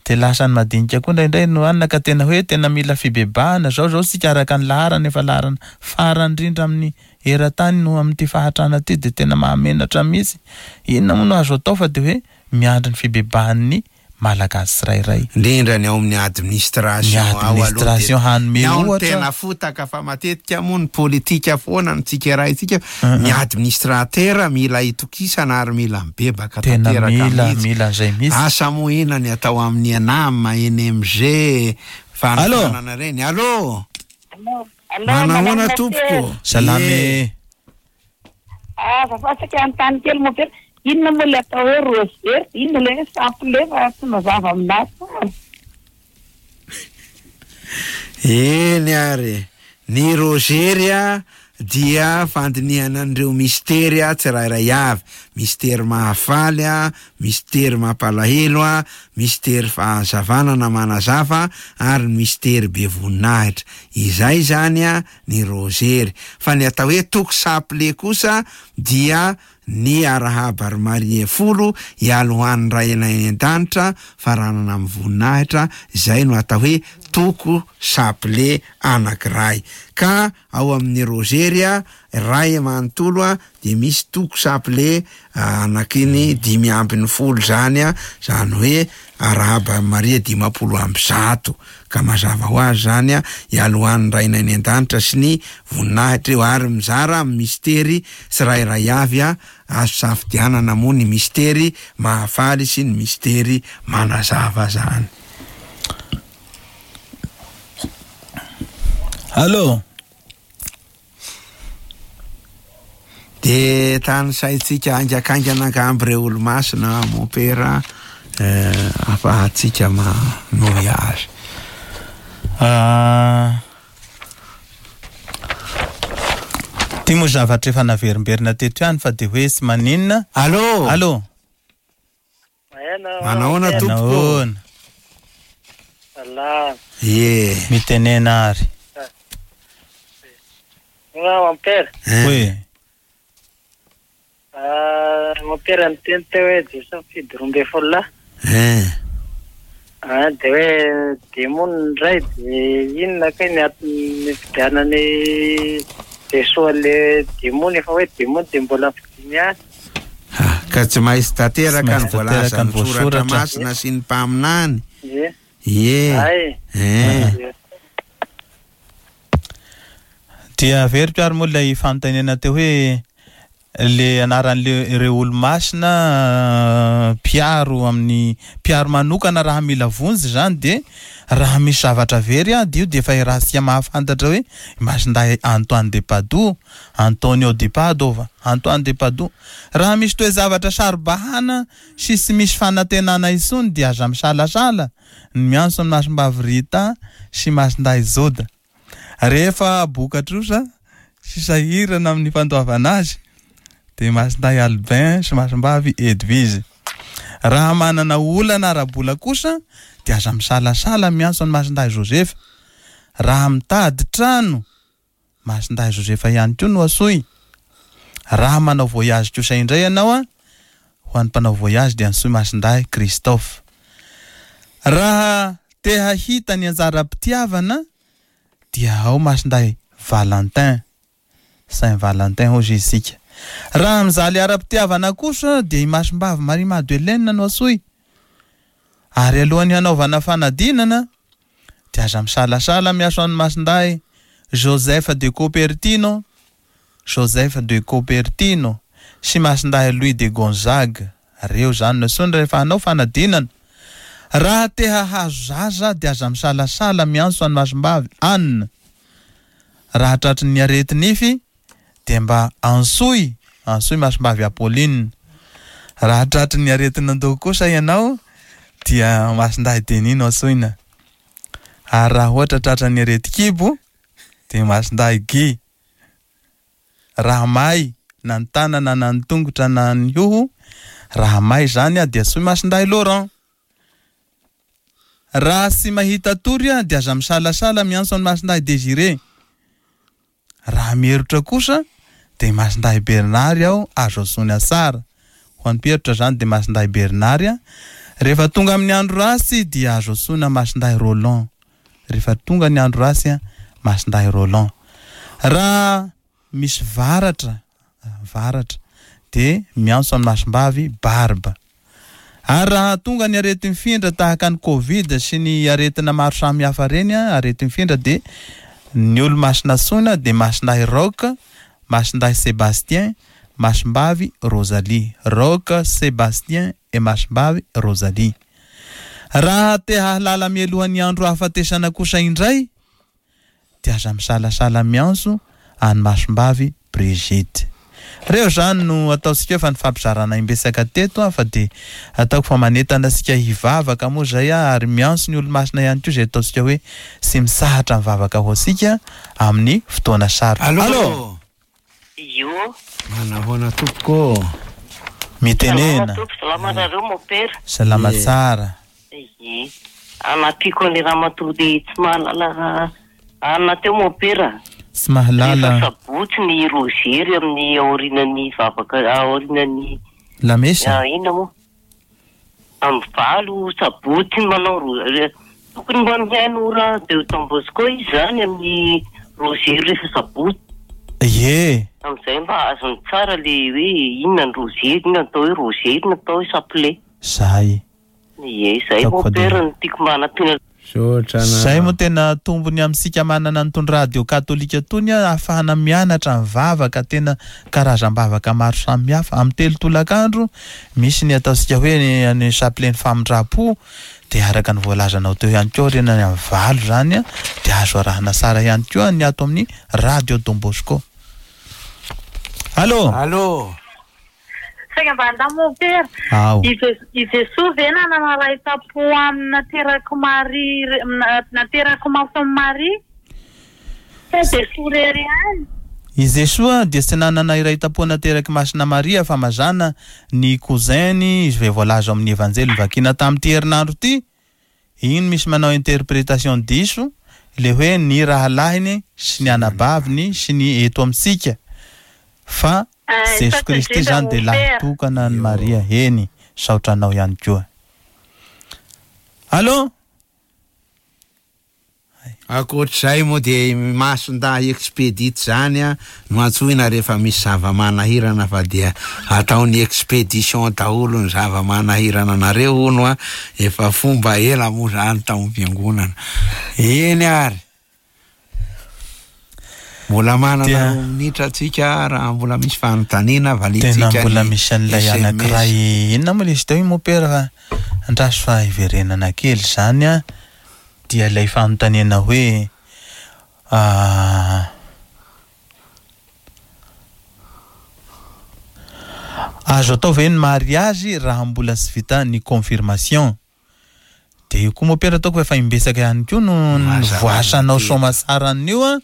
De lasa ny madinika koa indraindray no hanina ka tena hoe tena mila fibebahana zao zao tsika araka ny laharana efa laharana farany indrindra amin'ny eran-tany no amin'ity fahantrana ity de tena mahamenatra mihitsy. Inona moa no azo atao fa de hoe miandry ny fibebahan'ny Malagasy tsirairay. Indrindra ny ao amin'ny administration Ny ao aloha dia administration hanome ny ao no ohatra. tena fotaka fa matetika moa ny politika foana no tsikeraintsika, ny administrateur mila itokisana ary mila mibebaka Tena tanteraka mila mihitsy. mila an'izay mihitsy. Asa moa inona ny atao amin'ny ENAM, NMG, Allô? fanofanana ireny. Allô? Allô, Manahoana madame tompoko? Salama Ie. e. Ah, azafady anontany kely mompera. Inona moa ilay atao hoe rosaire? Inona ilay hoe chapelet fa tsy mazava aminahy tsara. Eny ary, ny rozery a dia fandinihana an'ireo mistery a tsirairay avy, mistery mahafaly a, mistery mampalahelo a, mistery fahazavana na manazava ary ny mistery be voninahitra. Izay zany a ny rozery. Fa ny atao hoe toko chapelet kosa dia ny arahaba ry Maria folo ialohan'ny Ray anay any an-danitra faranana amin'ny voninahitra, izay no atao hoe toko chapelet anankiray. Ka ao amin'ny rozery a, iray manontolo a, dia misy toko chapelet anakiny 15 zany a, zany hoe arahaba Maria 150, ka mazava ho azy zany a, ialohan'ny Rainay any an-danitra sy ny voninahitra eo, ary mizara amin'ny mistery tsirairay avy a, azo safidianana moa ny mistery mahafaly sy ny mistery manazava zany. Allô? De tanisaintsika haingakaingana angamba ireo olo-masina mompera eh, ahafahantsika manohy azy. Ah, Ty moa zavatra efa naverimberina teto ihany fa de hoe tsy maninona. Allô? Allô? Manahoana tompoko? Nahoana? Salama. Ie. Mitenena ary. Nga mompera. Eh. Hoe Ah, mompera niteny teo hoe Jesoa mifidy 12 lahy. Eh. Ah, de hoe demony indray de inona kay ny antony nifidianany Jesoa le demony efa hoe demony de mbola nifidiny ihany. Ah, Ka tsy maintsy tanteraka Tsy ny maintsy tanteraka ny voalazan'ny soratra voasoratra. masina sy ny mpaminany. Ie. Ie. Ay. Eh. Ie. Dia averiko ary moa ilay fanontaniana teo hoe le anaran'le ireo olo-masina mpiaro amin'ny mpiaro manokana raha mila vonjy zany de raha misy zavatra very a de io de efa irahantsika mahafantatra hoe Masindahy Antoine de Padoue, Antonio di Padova, Antoine de Padoue. Raha misy toe-javatra saro-bahana sy tsy misy fanantenana intsony dia aza misalasala ny miantso ny Masimbavy Rita sy Masindahy Joda. Rehefa boka trosa sy sahirana amin'ny fandoavana azy de Masindahy Albin sy Masimbavy Edwige. Raha manana olana ara-bola kosa de aza misalasala miantso ny Masindahy Joseph. Raha mitady trano, Masindahy Joseph ihany koa no asoy. Raha manao voyage kosa indray ianao a, ho an'ny mpanao voyage dia antsoy Masindahy Christophe. Raha te hahita ny anjara-pitiavana dia ao Masindahy Valentin, Saint Valentin hozy isika. Raha mijaly ara-pitiavana kosa dia i Masimbavy Marie Madeleine no asoy. Ary alohan'ny hanaovana fanadinana dia aza misalasala miaso an'i Masindahy Joseph de Copertino, Joseph de Copertino sy Masindahy Louis de Gonzague. Reo zany no asoiny rehefa hanao fanadinana. Raha te hahazo zaza dia aza misalasala miantso an'i Masimbavy Anne. Raha tratry ny areti-nify dia mba antsoy, antsoy Masimbavy Apolline. Raha tratry ny aretin'andoha kosa ianao dia Masindahy Denis no antsoina. Ary raha ohatra tratra ny aretin-kibo dia Masindahy Guy. Raha may na ny tanana na ny tongotra na ny hoho, raha may zany dia antsoy Masindahy Laurent. Raha tsy mahita tory dia aza misalasala miantso an'i Masindahy Désiré. Raha mierotra kosa dia Masindahy Bernard aho azo antsoina tsara. Ho an'ny mpierotra zany dia Masindahy Bernard. Rehefa tonga amin'ny andro ratsy dia azo antsoina Masindahy Roland. Rehefa tonga ny andro ratsy, Masindahy Roland. Raha misy varatra, varatra, dia miantso an'i Masimbavy Barbe. Ary raha tonga ny areti-mifindra tahaka ny Covid sy ny aretina maro samihafa ireny, areti-mifindra dia ny olo-masina antsoina dia Masindahy Roch, Masindahy Sébastien, Masimbavy Rosalie. Roch, Sébastien et Masimbavy Rosalie. Raha te hahalala mialoha ny andro hahafatesana kosa indray dia aza misalasala miantso an'i Masimbavy Brigitte. Reo zany no ataontsika hoe fa nifampizarana imbetsaka teto fa dia ataoko fa manentana antsika hivavaka moa zay ary miantso ny olo-masina ihany koa izay ataontsika hoe tsy mitsahatra mivavaka ho antsika amin'ny fotoana sarotra. Allô? Io. Manahoana tompoko ô? Mitenena. Salama tompoko, salama nareo mopera. Salama tsara. Ie. Anampiako an'ilay ramatoa le tsy mahalala anona teo mopera. Tsy mahalala. Rehefa sabotsy ny rozery amin'ny aorianan'ny vavaka aorianan'ny Lamesa. Inona moa? Amin'ny 8 sabotsy manao ro- tokony mba mihaino radio Don Bosco izy zany amin'ny rozery rehefa sabotsy. Ie. Amin'izay mba azony tsara le hoe inona ny rozery, inona ny atao hoe rozery, inona ny atao hoe chapelet. Zay. Ie, zay mopera no tiako mba hanampiana. Misaotra anareo. Zay moa tena tombony amintsika manana an'itony radio katolika itony ahafahana mianatra mivavaka tena karazam-bavaka maro samihafa. Amin'ny 3 tolakandro misy ny ataontsika hoe ny chapelet ny famindram-po dia araka ny voalazanao teo ihany koa aorianany amin'ny 8 zany dia azo arahana tsara ihany koa ny ato amin'ny radio Don Bosco. Allô? Allô? Saingy mba andao mompera. Ao. I I Jesoa ve nanana ray tam-po aminy naterak'i Maria naterak'i Masin'i Maria? Sa Jesoa irery ihany? I Jesoa dia tsy nanana iray tam-po naterak'i Masina Maria fa mazàna ny cousin-ny izay voalaza ao amin'ny Evanjely novakiana tamin'ity herinandro ity. Iny misy manao interprétation diso le hoe ny rahalahiny sy ny anabaviny sy ny eto amintsika fa Jesoa Kristy zany dia lahy tokana an'i Maria eny saotra anao ihany koa. Allô? Ankoatr'izay moa dia i Masindahy Expedit izany no antsoina rehefa misy zava-manahirana fa dia ataony expedition daholo ny zava-manahirana anareo hono a, efa fomba ela moa izany tao am-piangonana. Eny ary. Mbola manana Dia- roa minitra tsika raha mbola misy fanontaniana valiantsika Tena mbola ny misy an'ilay SMS. anankiray inona moa ilay izy teo iny mompera fa andraso fa hiverenana kely izany a, dia ilay fanontaniana hoe azo atao ve ny mariazy raha mbola tsy vita ny confirmation? Dia io koa mompera ataoko fa efa imbetsaka ihany koa no nivoasanao soamatsara an'io a,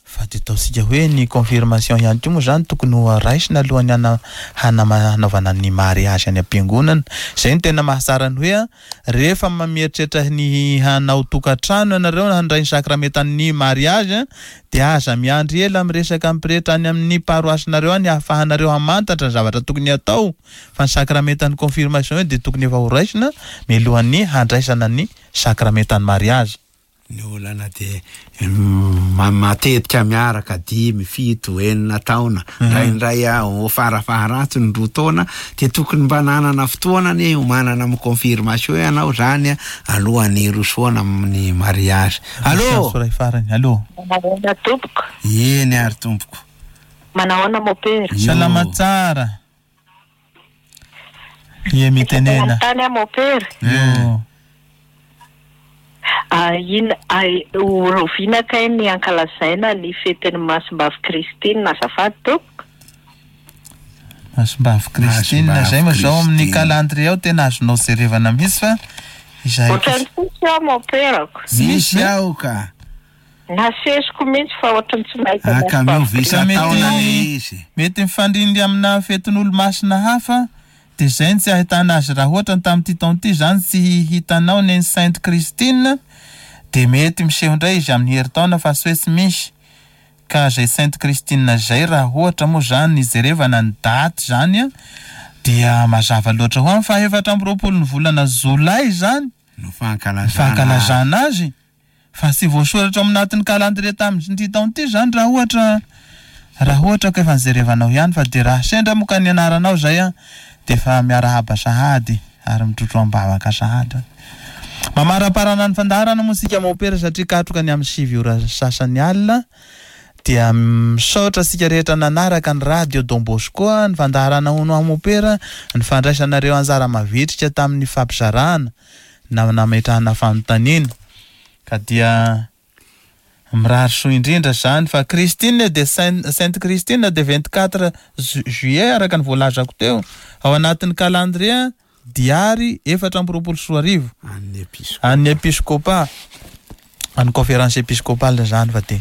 fa dia ataontsika hoe ny confirmation ihany koa moa izany tokony ho raisina alohan'ny hanaovana ny mariazy any am-piangonana. Izay no tena mahatsara ny hoe a, rehefa mieritreritra ny hanao tokantrano ianareo handray ny sakramentan'ny mariazy a, dia aza miandry ela miresaka amin'ny pretra any amin'ny paroasinareo any ahafahanareo hamantatra ny zavatra tokony hatao, fa ny sakramentan'ny confirmation io dia tokony efa ho raisina mialohan'ny handraisana ny sakramentan'ny mariazy. Ny olana dia matetika miaraka 5, 7, 6 taona, indraindray aho farafaharatsiny 2 taona, dia tokony mba nanana fotoana anie hiomanana amin'ny confirmation ianao zany alohan'ny hirosoana amin'ny mariazy. Allô? Soray farany, allô? Manahoana tompoko? Eny ary tompoko. Manahoana mopera? Yo. Salama tsara. Ie mitenena. Manontany aho mopera. Yo. Oviana kay ny ankalazaina ny fetin'ny Masimbavy Christine azafady tompoko? Masimbavy Christine, Masimbavy zay moa zao amin'ny Christine. calendrier ao tena azonao jerevana mihitsy fa izay Ohatran'ny tsisy aho moperako. Misy aho ka. Nasesiko mihitsy fa ohatran'ny tsy mahita Ah, ka Masimbavy miova Christine. isan-taona le izy. Mety mifandrindry amina fetin'olo-masina hafa, dia zay no tsy ahitana azy raha ohatra ny tamin'ity taona ity zany tsy hitanao ny Sainte Christine, dia mety miseho indray izy amin'ny herintaona fa tsy hoe tsy misy. Ka zay Sainte Christine zay raha ohatra moa zany jerevana ny daty zany a, Dia mazava loatra ho any fa 24 ny volana jolay izany no fankalazana fankalazana azy. Fa tsy voasoratra ao anatin'ny calendrier tamin'ity taona ity izany raha ohatra raha ohatra ka efa nijerevanao ihany fa dia raha sendra moa ka ny anaranao izay an dia efa miarahaba sahady ary mitrotro am-bavaka sahady. Mamaraparana ny fandaharana moa isika mopera satria katroka ny amin'ny 9 ora sasany alina dia misaotra antsika rehetra nanaraka ny radio Don Bosco ny fandaharana hono aho mopera ny fandraisanareo anjara mavitrika tamin'ny fampizarana na nametrahana fanontaniana ka dia mirary soa indrindra zany fa Christine de Sainte Christine de 24 juillet araka ny voalazako teo ao anatin'ny calendrier diary 2024 an'ny episkopa an'ny conférence épiscopale zany fa dia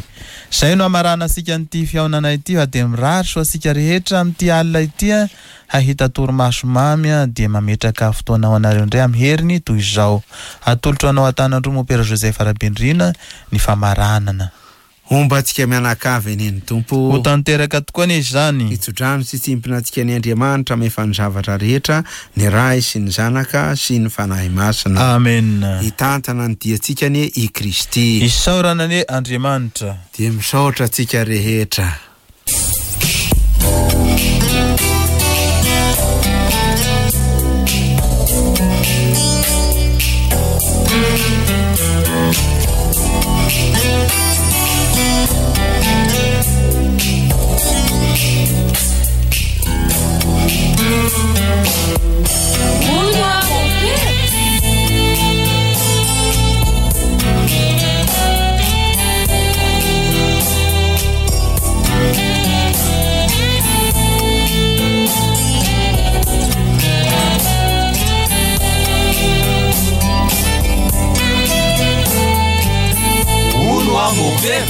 zay no hamaranantsika an'ity fihaonana ity fa dia mirary soa antsika rehetra amin'ity alina ity a hahita torimaso mamy a dia mametraka fotoana ho anareo indray amin'ny heriny toy izao atolotro anao an-tanan-droa Mopera Joseph Rabendrina ny famaranana. Homba antsika mianakavy anie ny Tompo. Ho tanteraka tokoa anie izany. Hitso-drano sy hitsimpona antsika anie Andriamanitra mahefa ny zavatra rehetra, ny Ray sy ny Zanaka sy ny Fanahy Masina. Amen. Hitantana ny diantsika anie i Kristy. Isaorana anie Andriamanitra. Dia misaotra antsika rehetra. Hono aho mopera.